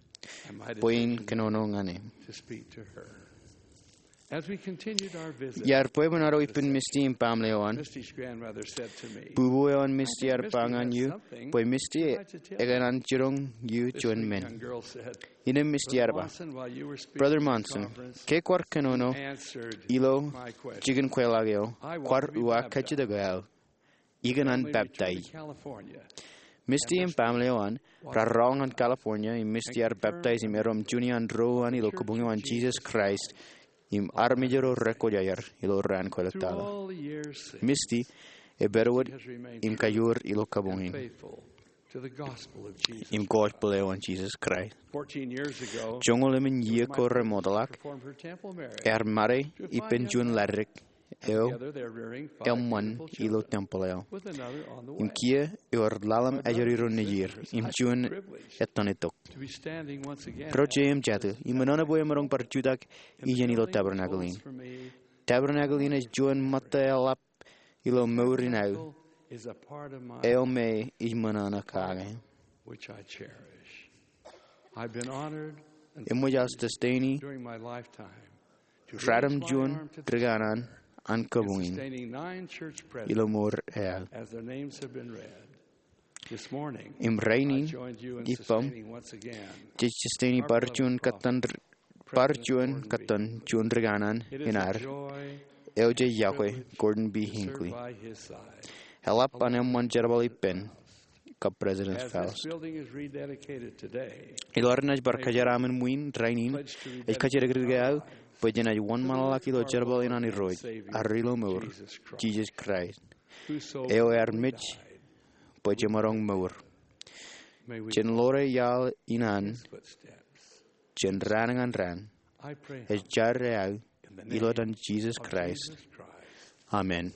bwe in kōnono ñan e. Iar bwebwenato ippān Misty im baaṃle eo an, bubu eo an Misty ear ba ñan eō bwe Misty ekōṇaan jiroñ eō juon men. Innām Misty ear ba, Brother Monson, ke kwaar kōnono ilo jikin kweilọk eo, kwaar uwaak kajjitōk aō. Ikōṇaan peptaij. Misty im baaṃle eo an raar rọọl ñan California im Misty ear peptaij im eddo im juon iaan doon ilo kabuñ eo an Jisōs Kraist im armej ro rekwōjarjar ilo raan ko etaḷọk. Misty ej pād wōt im kajoor ilo kabuñ in im gospel eo an Jisōs Kraist. Joñoul emān iiō ko remootḷọk, ear made ippān juon ledik eo eṃṃan ilo tempeḷ eo. Im kiiō ewōr ḷalem ajri ro nejier im juon ettan itok. Ro jeiū im jatū, iṃōṇōṇō bwe emaroñ bar jutak iien ilo tabernacle in. Tabernacle in ej juon ṃōtta eḷap ilo mour in aō eo me ij ṃōṇōṇō kake. Eṃōj aō sustain-i ratimjuon ri kanaan an kabuñ in ilo mour eo aō. Im rainin, ippaṃ, jej sustain-i bar juon kōttan, bar juon kōttan juon ri kanaan in ad eo jej iọkwe Gordon B. Hinckley. Eḷap an eṃṃan jerbal ippān kab President Faust. Ilo ad naaj bar kōjeraaṃṃan ṃwiin rainin, ej kōjatdikdik eo aō bwe jenaaj wōnṃaanḷọk ilo jerbal in an Irooj, ad ilo mour, Jisōs Kraist, eo ear mej bwe jemaroñ mour. Jen ḷoor iaḷ in an jān raan ñan raan. Ej jar eo aō ilo etan Jisōs Kraist. Amen.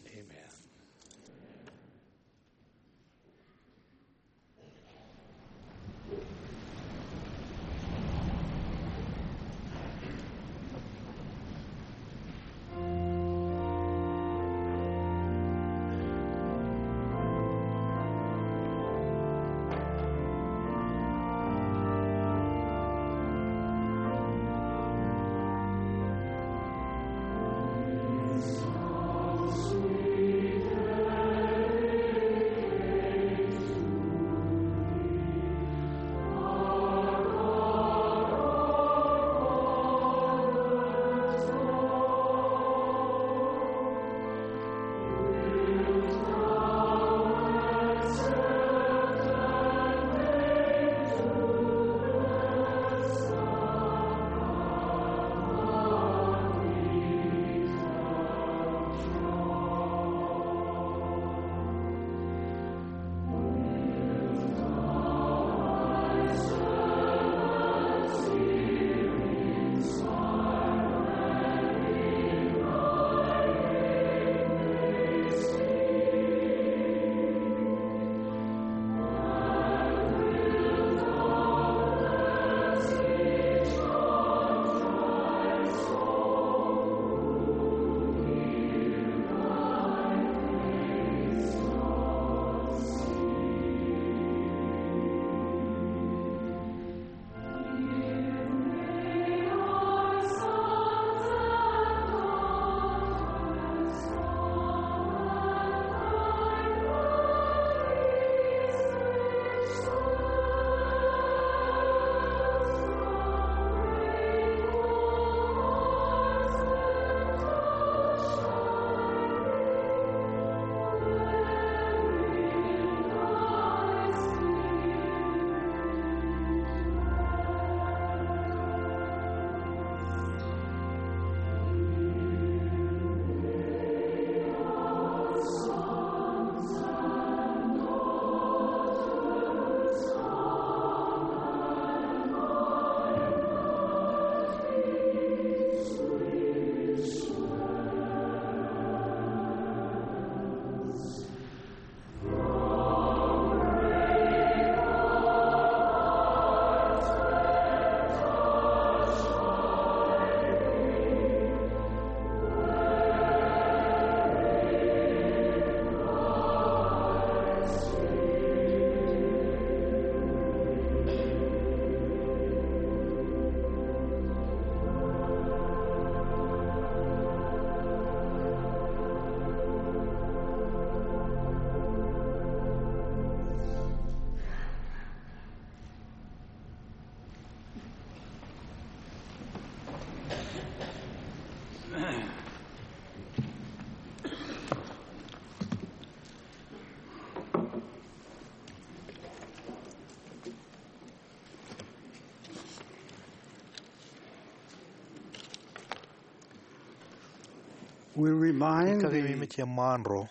We remind Ikakememej eṃṃaan ro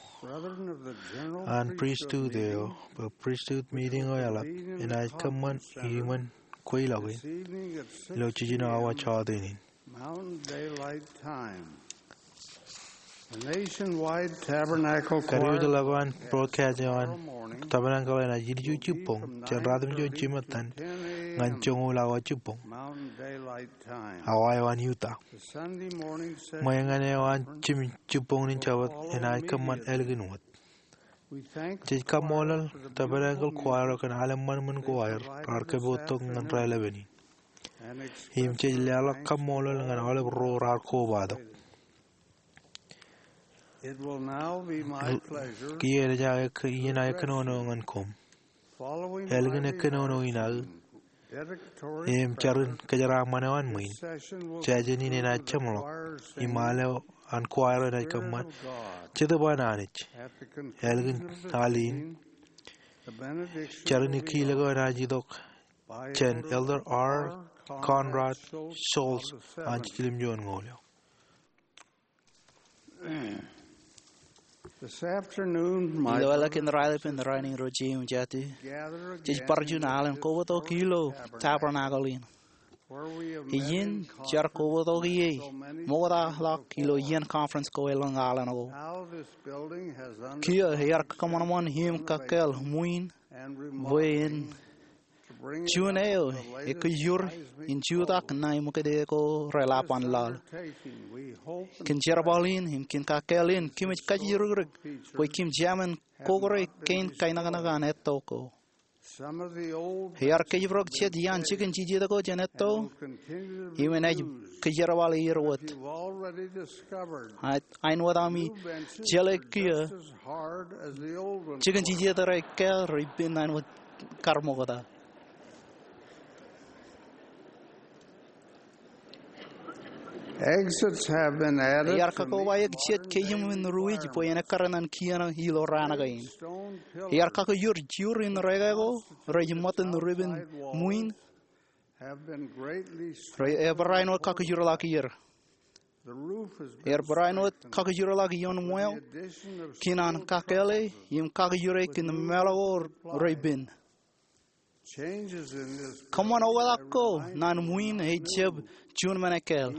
an pristut eo, bwe pristut meeting eo eḷap enaaj kōṃṃan iṃōn kweilọk in ilo jiljino awa jọteen in. Mountain Daylight Time. The nationwide Tabernacle Choir kadiwōjḷọk an broadcast eo an Tabernacle enaaj ilju jibboñ jān ratimjuon jimettan ñan joñoul awa jibboñ, Mountain Daylight Time. Awa eo an Utah. The Sunday morning session ṃōñā eo an jimjuon jibboñ in Jabōt enaaj kōṃṃan ālikin wōt. We thank Jej kaṃṃoolol Tabernacle Choir kōn al eṃṃanṃan ko aer raar kōpooj tok ñan raelepen in. Im jej leḷọk kaṃṃoolol ñan aolep ro raar kobatok. It will now be my pleasure Kiiō enaaj aō ek-, iien aō kōnono ñan koṃ. Ālikin kōnono in aō im jarin kōjeraaṃṃan eo an ṃwiin, jājen in enaaj jeṃḷọk im al eo an choir enaaj kōṃṃan Jetōb an Anij. Ālikin al in, jarin ikijjeen eo enaaj itok jān Elder R. Conrad Schulz an Jiljilimjuonñoul eo. This afternoon, my Ilo ālikin raelepen rainin ro jeiū im jatū, jej bar juon alen kobatok ilo Tabernacle in. Iien jar kobatok ie ṃoktaḷọk ilo iien conference ko elōñ alen ko. Kiiō ear kōṃanṃan im kakkāāl ṃwiin bwe en juon eo ekwe jur in jutak ṇae ṃōkade ko reḷap an laḷ. Kōn jerbal in im kōn kakkāāl in kōmij kajjirikdik bwe kōm jemān kokōre kein kainaknak an etto ko. Ear kōjparok jet iaan jikin jijet ko jān etto im enaaj kōjerbale er wōt. Āinwōt ami jeḷā kiiō, jikin jijet rej kāāl rej pen āinwōt kar ṃokta. Exits have been added. Ear kakobaik jet kōjām in ruwij bwe en ekkar ñan kien ilo raan kein. Ear kakijur jur in reke ko rej ṃōttan ripen ṃwiin. Rej, ear barāinwōt kakijurḷọk er. Ear barāinwōt kakijurḷọk ioon ṃweo kōn an kakkāāle im kakijure kōn meḷeḷe ko rej pen. Kōṃṃan oktak ko ñan ṃwiin ej jab juon men ekkāāl.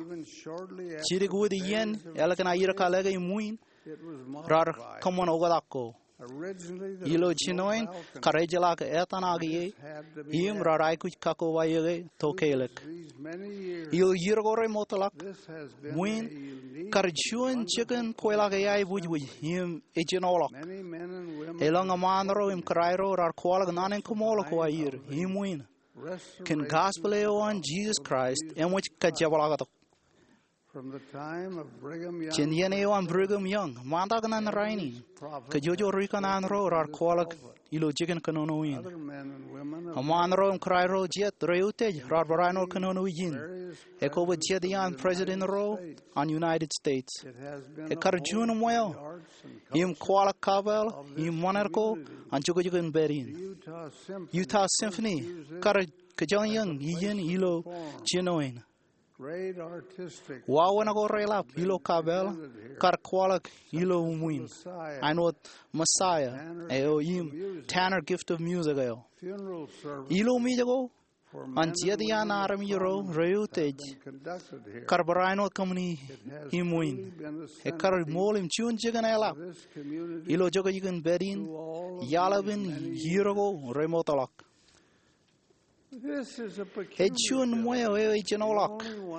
Jidik wōt iien ālikin aer kōḷḷāik ṃwiin raar kōṃṃan oktak ko. Ilo jinoin kar ejjeḷọk etan ak ie im raar aikuj kakobaik e to kelōk. Ilo iiō ko remootḷọk, ṃwiin kar juon jikin kweilọk eaibwijbwij im ejenoḷọk. Elōñ eṃṃaan ro im kōrā ro raar kwaḷọk naan in kaṃool ko aer im ṃwiin kōn gospel eo an Jisōs Kraist eṃōj kajepḷaaktok. Jān iien eo an Brigham Young ṃaantak ñan rainin, kōjwōj ri kanaan ro raar kwaḷọk ilo jikin kōnono in. Eṃṃaan ro im kōrā ro jet rej utiej raar barāinwōt kōnono ijin. Ekwe bwe jet iaan president ro an United States. Ekkar juon ṃweo im kwaḷọk kapeel im ṃōṇōṇō ko an jukjukin pād in. Utah Symphony kar kōjañjañ iien ilo jinoin. Wāween ko reḷap ilo kapeel kar kwaḷọk ilo ṃwiin, āinwōt Messiah eo im Tanner Gift of Music eo. Ilo mej ko an jet iaan armej ro rej utiej kar barāinwōt kōṃṃani iṃwiin. Ekkar ṃool im juon jikin eḷap ilo jukjukin pād in iaḷ epen iiō ko remootḷọk. Ej juon ṃweo eo ejenoḷọk,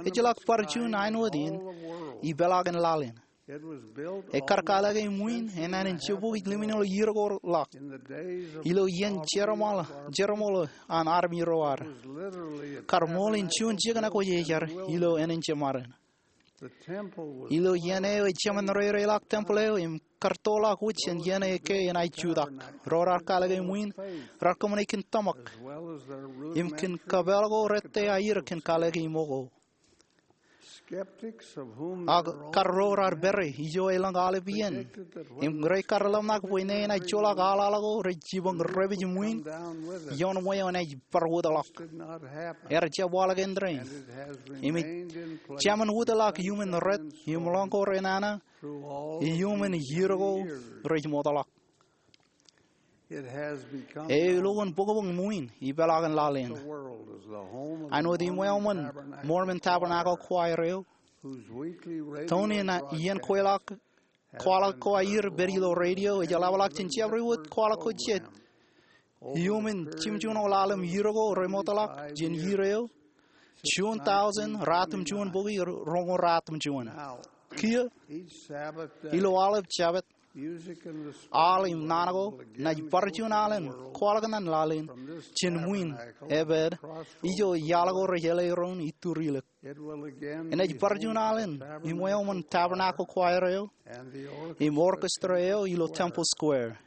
ejjeḷọk bar juon āinwōt in ipeḷaakin laḷ in. Ekkar kōḷḷāik ṃwiin enānin jibukwi lemñoul iiō ko ḷọk. Ilo iien jeroṃōḷ, jeroṃōḷ an armej ro ad, kar ṃool in juon jikin ekwōjarjar ilo ānin jeṃaden. Ilo iien eo ej jemān rereḷọk tempeḷ eo im kar toḷọk wōj jān iien eo ke enaaj jutak. Ro raar kōḷḷāik ṃwiin raar kōṃṃane kōn tōmak im kōn kapeel ko rejjab aer kōn kōḷḷāik ṃōko. Ak kar ro raar pere ijo elōñ aolep iien im rej kar ḷōmṇak bwe ṇe enaaj joḷọk aḷaḷ ko rej jipañ repej ṃwiin ioon ṃweo enaaj bar wōtḷọk. Ear jab waḷọk āindein. Im ej jemān wōtḷọk iuṃwin ret im ḷọk ko renana iuṃwin iiō ko rej ṃootḷọk. Eo ilo an bōkbōk ṃwiin ipeḷaakin laḷ in. Āinwōt iṃweo ṃōn Mormon Tabernacle Choir eo, toon in iien kwaḷọk ko aer pād ilo radio ej eḷapḷọk jān jabdewōt kwaḷọk ko jet iuṃwin jimjuon ḷalem iiō ko remootḷọk jān iiō eo, juon tọujin ratimjuon bukwi roñoul ratimjuon. Kiiō, ilo aolep Jabōt, aḷ im naan ko enaaj bar juon alen kwaḷọk ñan laḷ in jān ṃwiin epād ijo iaḷ ko rej āle doon iturilik. Enaaj bar juon alen iṃweo ṃōn Tabernacle Choir eo im orchestra eo ilo Temple Square.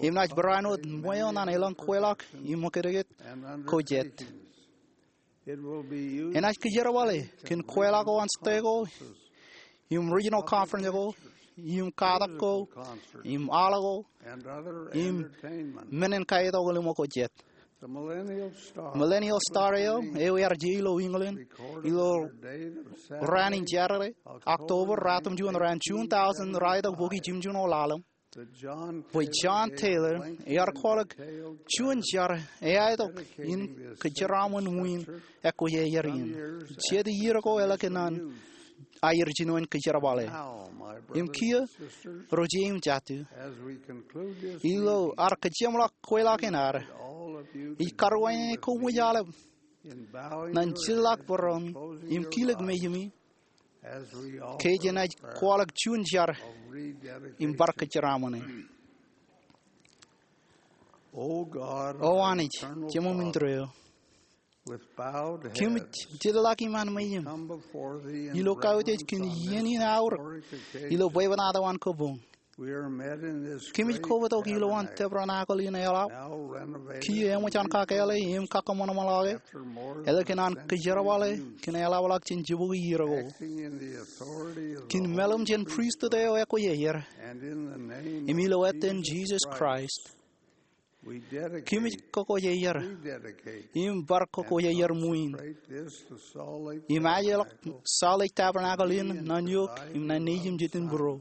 Im naaj barāinwōt ṃweo ñan elōñ kweilọk im ṃōkajkōt ko jet. Enaaj kōjerbale kōn kweilọk ko an state ko im regional conference ko im katak ko im aḷ ko im men in kaetok ḷōmṇak ko jet. Millennial Star eo, eo ear je ilo England ilo raan in Jādede, October ratimjuon raan, juon tọujin ralitōk bukwi jimjuon ḷalem, bwe John Taylor ear kwaḷọk juon jar eaetok in kōjeraaṃṃan ṃwiin ekwe iaer in. Jet iiō ko eḷak kōn an aer jinoin kōjerbale. Im kiiō, ro jet im jatū, ilo ad kōjeṃḷọk kweilọk in ad, ij karuwainene koṃij aolep ñan jitḷọk bōrọmi im kilōk mejami ke jenaaj kwaḷọk juon jar im bar kōjeraaṃṃane. O Anij, Jemem in tōre eo, kōmij jitḷọk iṃaan mejaṃ ilo kautiej kōn iien in aorōk ilo bwebwenato an kōpoñ. Kōmij kobatok ilowaan tabernacle in eḷap, kiiō eṃōj an kakāāle im kakōṃanṃanḷọke, eḷak kōn an kōjerbale kōn eḷapḷọk jān jibukwi iiō ko, kōn meḷeṃ jān pristut eo ekwe iaer, im ilo etan Jisōs Kraist, kōmij kōkōjeier im bar kōkōjeier ṃwiin im ajeḷọk Salt Lake Tabernacle in ñan eok im ñan nejūṃ jet in būruō,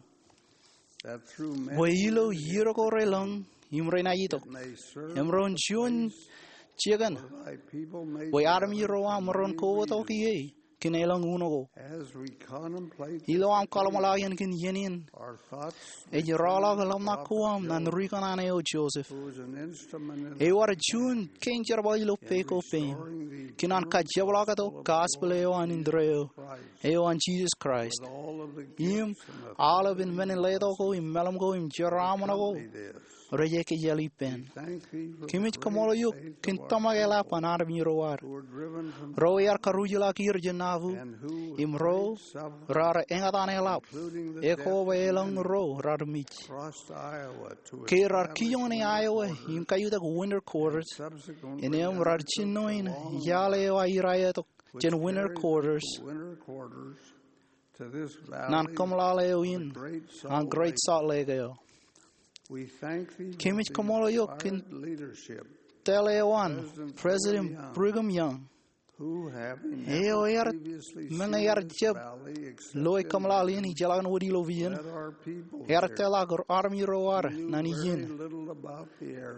bwe ilo iiō ko relōñ im renaaj itok, im ren juon jikin, bwe armej ro aṃ ren kobatok ie kōn elōñ uno ko. Ilo aṃ kōḷmānḷọkjeṇ kōn iien in, ej rọọlḷọk ḷōmṇak ko aṃ ñan rikōṇaan eo Joseph, eo ear juon kein jerbal ilo peiṃ ko peiṃ, kōn an kajepḷaaktok gospel eo an indeeo, eo an Jisōs Kraist, im aolepen men in letok ko im meḷeṃ ko im jeraaṃṃan ko rej ekejel ippān. Kōmij kaṃṃoolol eok kōn tōmak eḷap an armej ro ad, ro ear karuj ḷọk er jān Nauvoo, im ro raar eñtaan eḷap, ekwe elōñ ro raar mej, ke raar kijoñe Iowa im kaiutak winter quarters, innām raar jino in iaḷ eo aer aetok jān winter quarters ñan kōmeḷeḷe eo in an Great Salt Lake eo. Kōmij kaṃṃoolol eok kōn tōl eo an President Brigham Young, eo ear meñe ear jab loe kōmeḷeḷe in ijellọkin wōt ilo vision, ear tōl ḷọk armej ro ad ñan iien,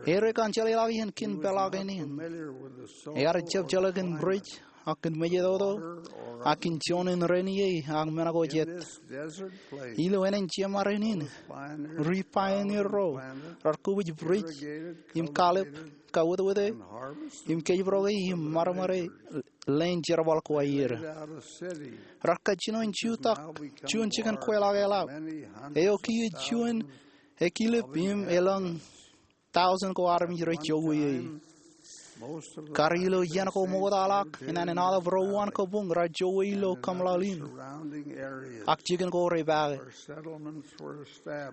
erro ekaṇ jeḷāḷọkjeṇ kōn peḷaakin in, ear jab jeḷā kōn bridge ak kōn mejatoto ak kōn juon in ren ie ak men ko jet. Ilo ānen jeṃaden in, ri pioneer ro raar kōpij bridge im kalep, kawōtwōte, im kōjparoke im ṃadṃōde leen jerbal ko aer. Raar kajjino in jutak juon jikin kweilọk eḷap, eo kiiō juon ekilep im elōñ tọujin ko armej rej jokwe ie. Kar ilo iien ko ṃoktaḷọk, inaan enaaj aolep ro uwaan kabuñ raar jowōj ilo kōmeḷeḷe in, ak jikin ko repaake.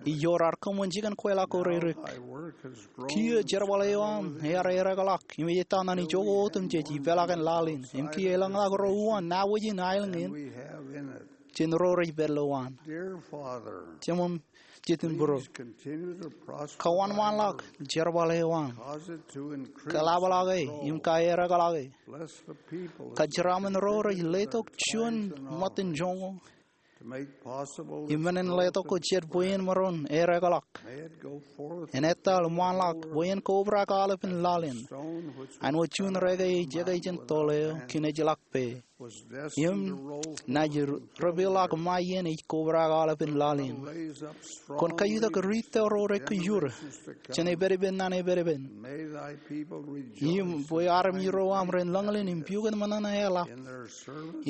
Ijo raar kōṃṃan jikin kweilọk ko rerik. Kiiō jerbal eo aṃ ear ereḷọk im ej ettā ñan ijoko otemjej ipeḷaakin laḷ in, im kiiō elōñḷọk ro uwaan nabōjin aelōñ in jān ro rej pād ilowaan. Jemām, jet im būruō, kōṃṃanḷọk jerbal eo aṃ, kōḷapḷọk e im kaereḷọk e. Kōjeraaṃṃan ro rej letok juon ṃōttan joñoul im men in letok ko jet bwe en maroñ ereḷọk. En etal ṃaanḷọk bwe en kobrak aolepen laḷ in, āinwōt juon reke ej jekjek jān toḷ eo kiin ejjeḷọk pā, im naaj repeḷḷọk ṃae iien ej kobrak aolepen laḷ in. Kwōn kaiutak riit eo ro rej kōjur jān epedped ñan epedped, im bwe armej ro aṃ ren lōñlōñ im pukot ṃōṇōṇō eḷap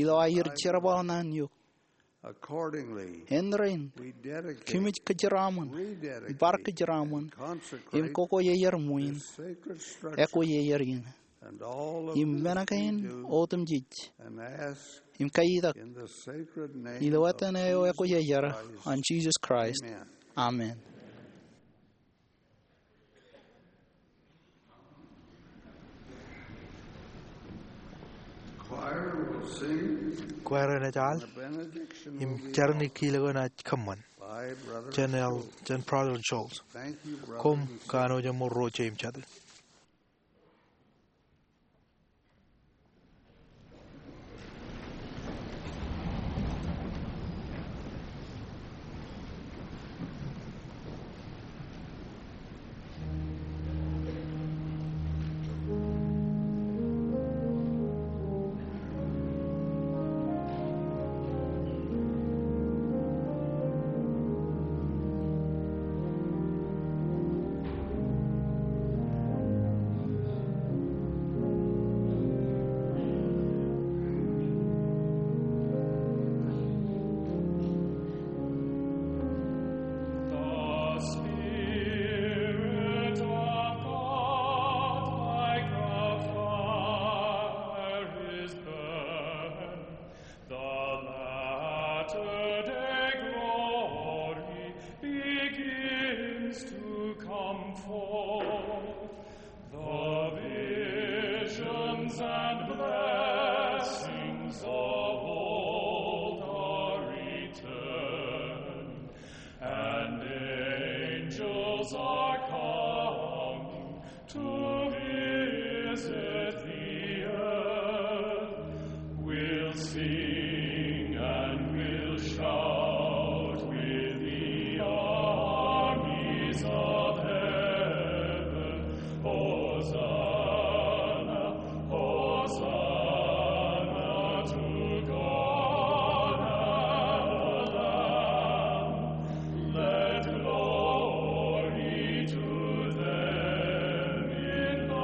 ilo aer jerbal ñan eok. Āindein, kōmij kōjeraaṃṃan, bar kōjeraaṃṃan, im koko ier ṃwiin ekwe ier in, im men kein otemjej, im kaiutak ilo etan eo ekwe ier, an Jisōs Kraist. Amen. Choir will sing. Kwaer enaaj al, the benediction im will be jar in kiil ko enaaj kōṃṃan. By Brother jān el, Schultz. Jān Brother Schultz. Thank you, brothers and sisters. Koṃ kanooj im ro ro jeiū im jatū. The Spirit of God like a fire is burning. The latter day glory begins to come forth. The visions and blessings of old are returned, and angels are coming to visit the earth. We'll sing and we'll shout with the armies of heaven. Hosanna, Hosanna to God and the Lamb. Let glory to them in the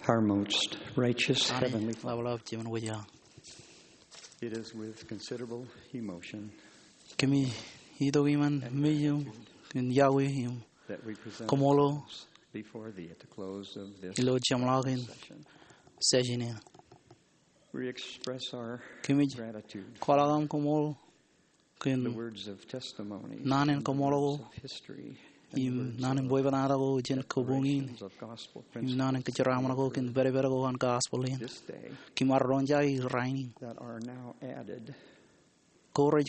Our most righteous Heavenly Father, ḷapḷap Jemān wōj eo aṃ. It is with considerable emotion kōmij itok iṃaan mej iṃ in iọkwe im that we present koṃṃool ourselves before Thee at the close of this ilo jeṃḷọkin session. Session in. We express our gratitude kōmij kwaḷọk aṃ koṃṃool kōn naan in koṃṃool ko im naan in bwebwenato ko jān kabuñ in im naan in kōjeraaṃṃan ko kōn pedped ko an gospel in. Kiiō maroñ jake rainin ko rej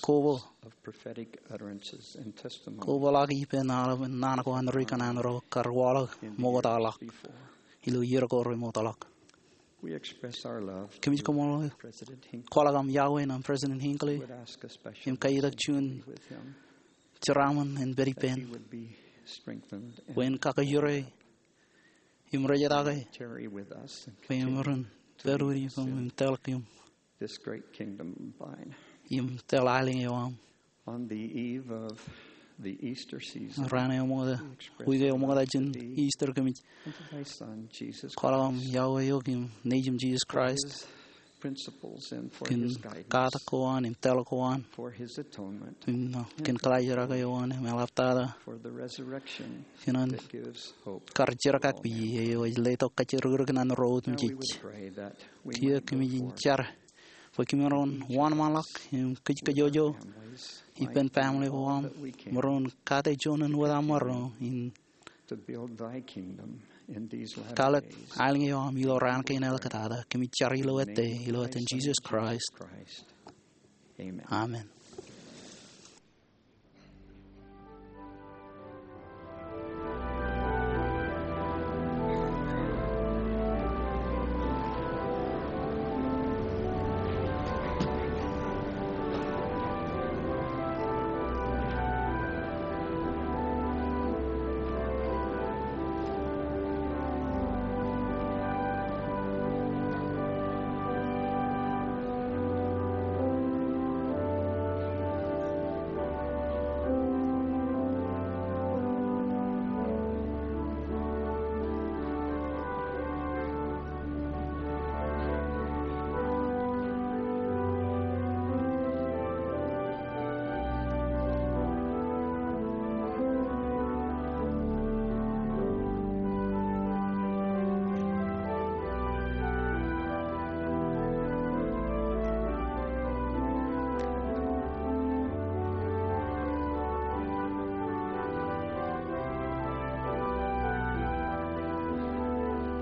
koba koba ḷọk ippān aolepen naan ko an ri kanaan ro kar waḷọk ṃoktaḷọk ilo iiō ko remootḷọk. Kōmij koṃṃool kwaḷọk aṃ iọkwe ṇe President Hinckley im kaiitak juon jeraaṃṃan en pād ippān bwe en kakajoor im rejjitōk bwe en ren pād wōt ippām im tōl kōm im tōl aelōñ eo aṃ. On the eve of the Easter season, raan eo ṃokta, wiik eo ṃokta jān Easter, kōmij kwaḷọk aṃ iọkwe eok im Nejūṃ Jesus Christ kōn katak ko an im tōl ko an im kōn kaḷajrak eo an im eḷaptata kōn an kar jerkakpeje eo ej letok kajjirikrik ñan ro otemjej. Kiiō kōmij jar bwe kōm maroñ wōnṃaanḷọk im kōjkōjojō ippān family ko aṃ, maroñ kate juon in wōt aṃ maroñ in kwaḷọk aelōñ eo aṃ ilo raan kein āliktata. Kōmij jar ilo ettā, ilo etan Jesus Christ. Amen.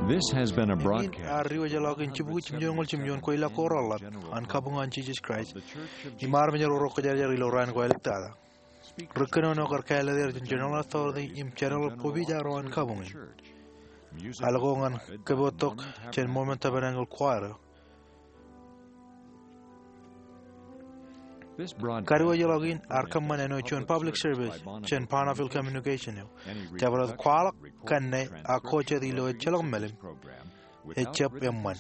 This has been a broadcast. Ear diwōjḷọk in jibukwi jimjuonñoul jimjuon kweilọk ko reḷap an kabuñ an Jesus Christ im armej ro rej kōjarjar ilo raan ko āliktata. Ri kōnono kar kāālōt er jān General Authority im General Provider ro an kabuñ in. Al ko ñan kōpooj tok jān Mormon Tabernacle Choir eo. Kadiwōjḷọk in ear kōṃṃan āinwōt juon public service jān Bonneville Communication eo. Jabdewōt kwaḷọk kanne ak ko jet ilo ejjeḷọk mālim ejjab eṃṃan.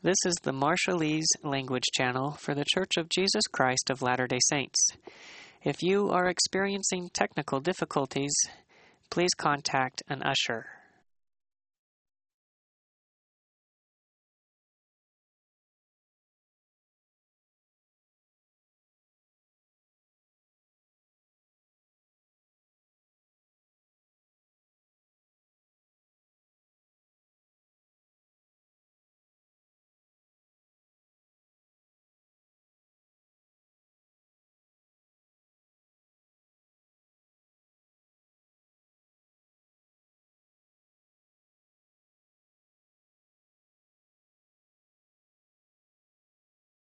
This is the Marshallese language channel for The Church of Jesus Christ of Latter-day Saints. If you are experiencing technical difficulties, please contact an usher.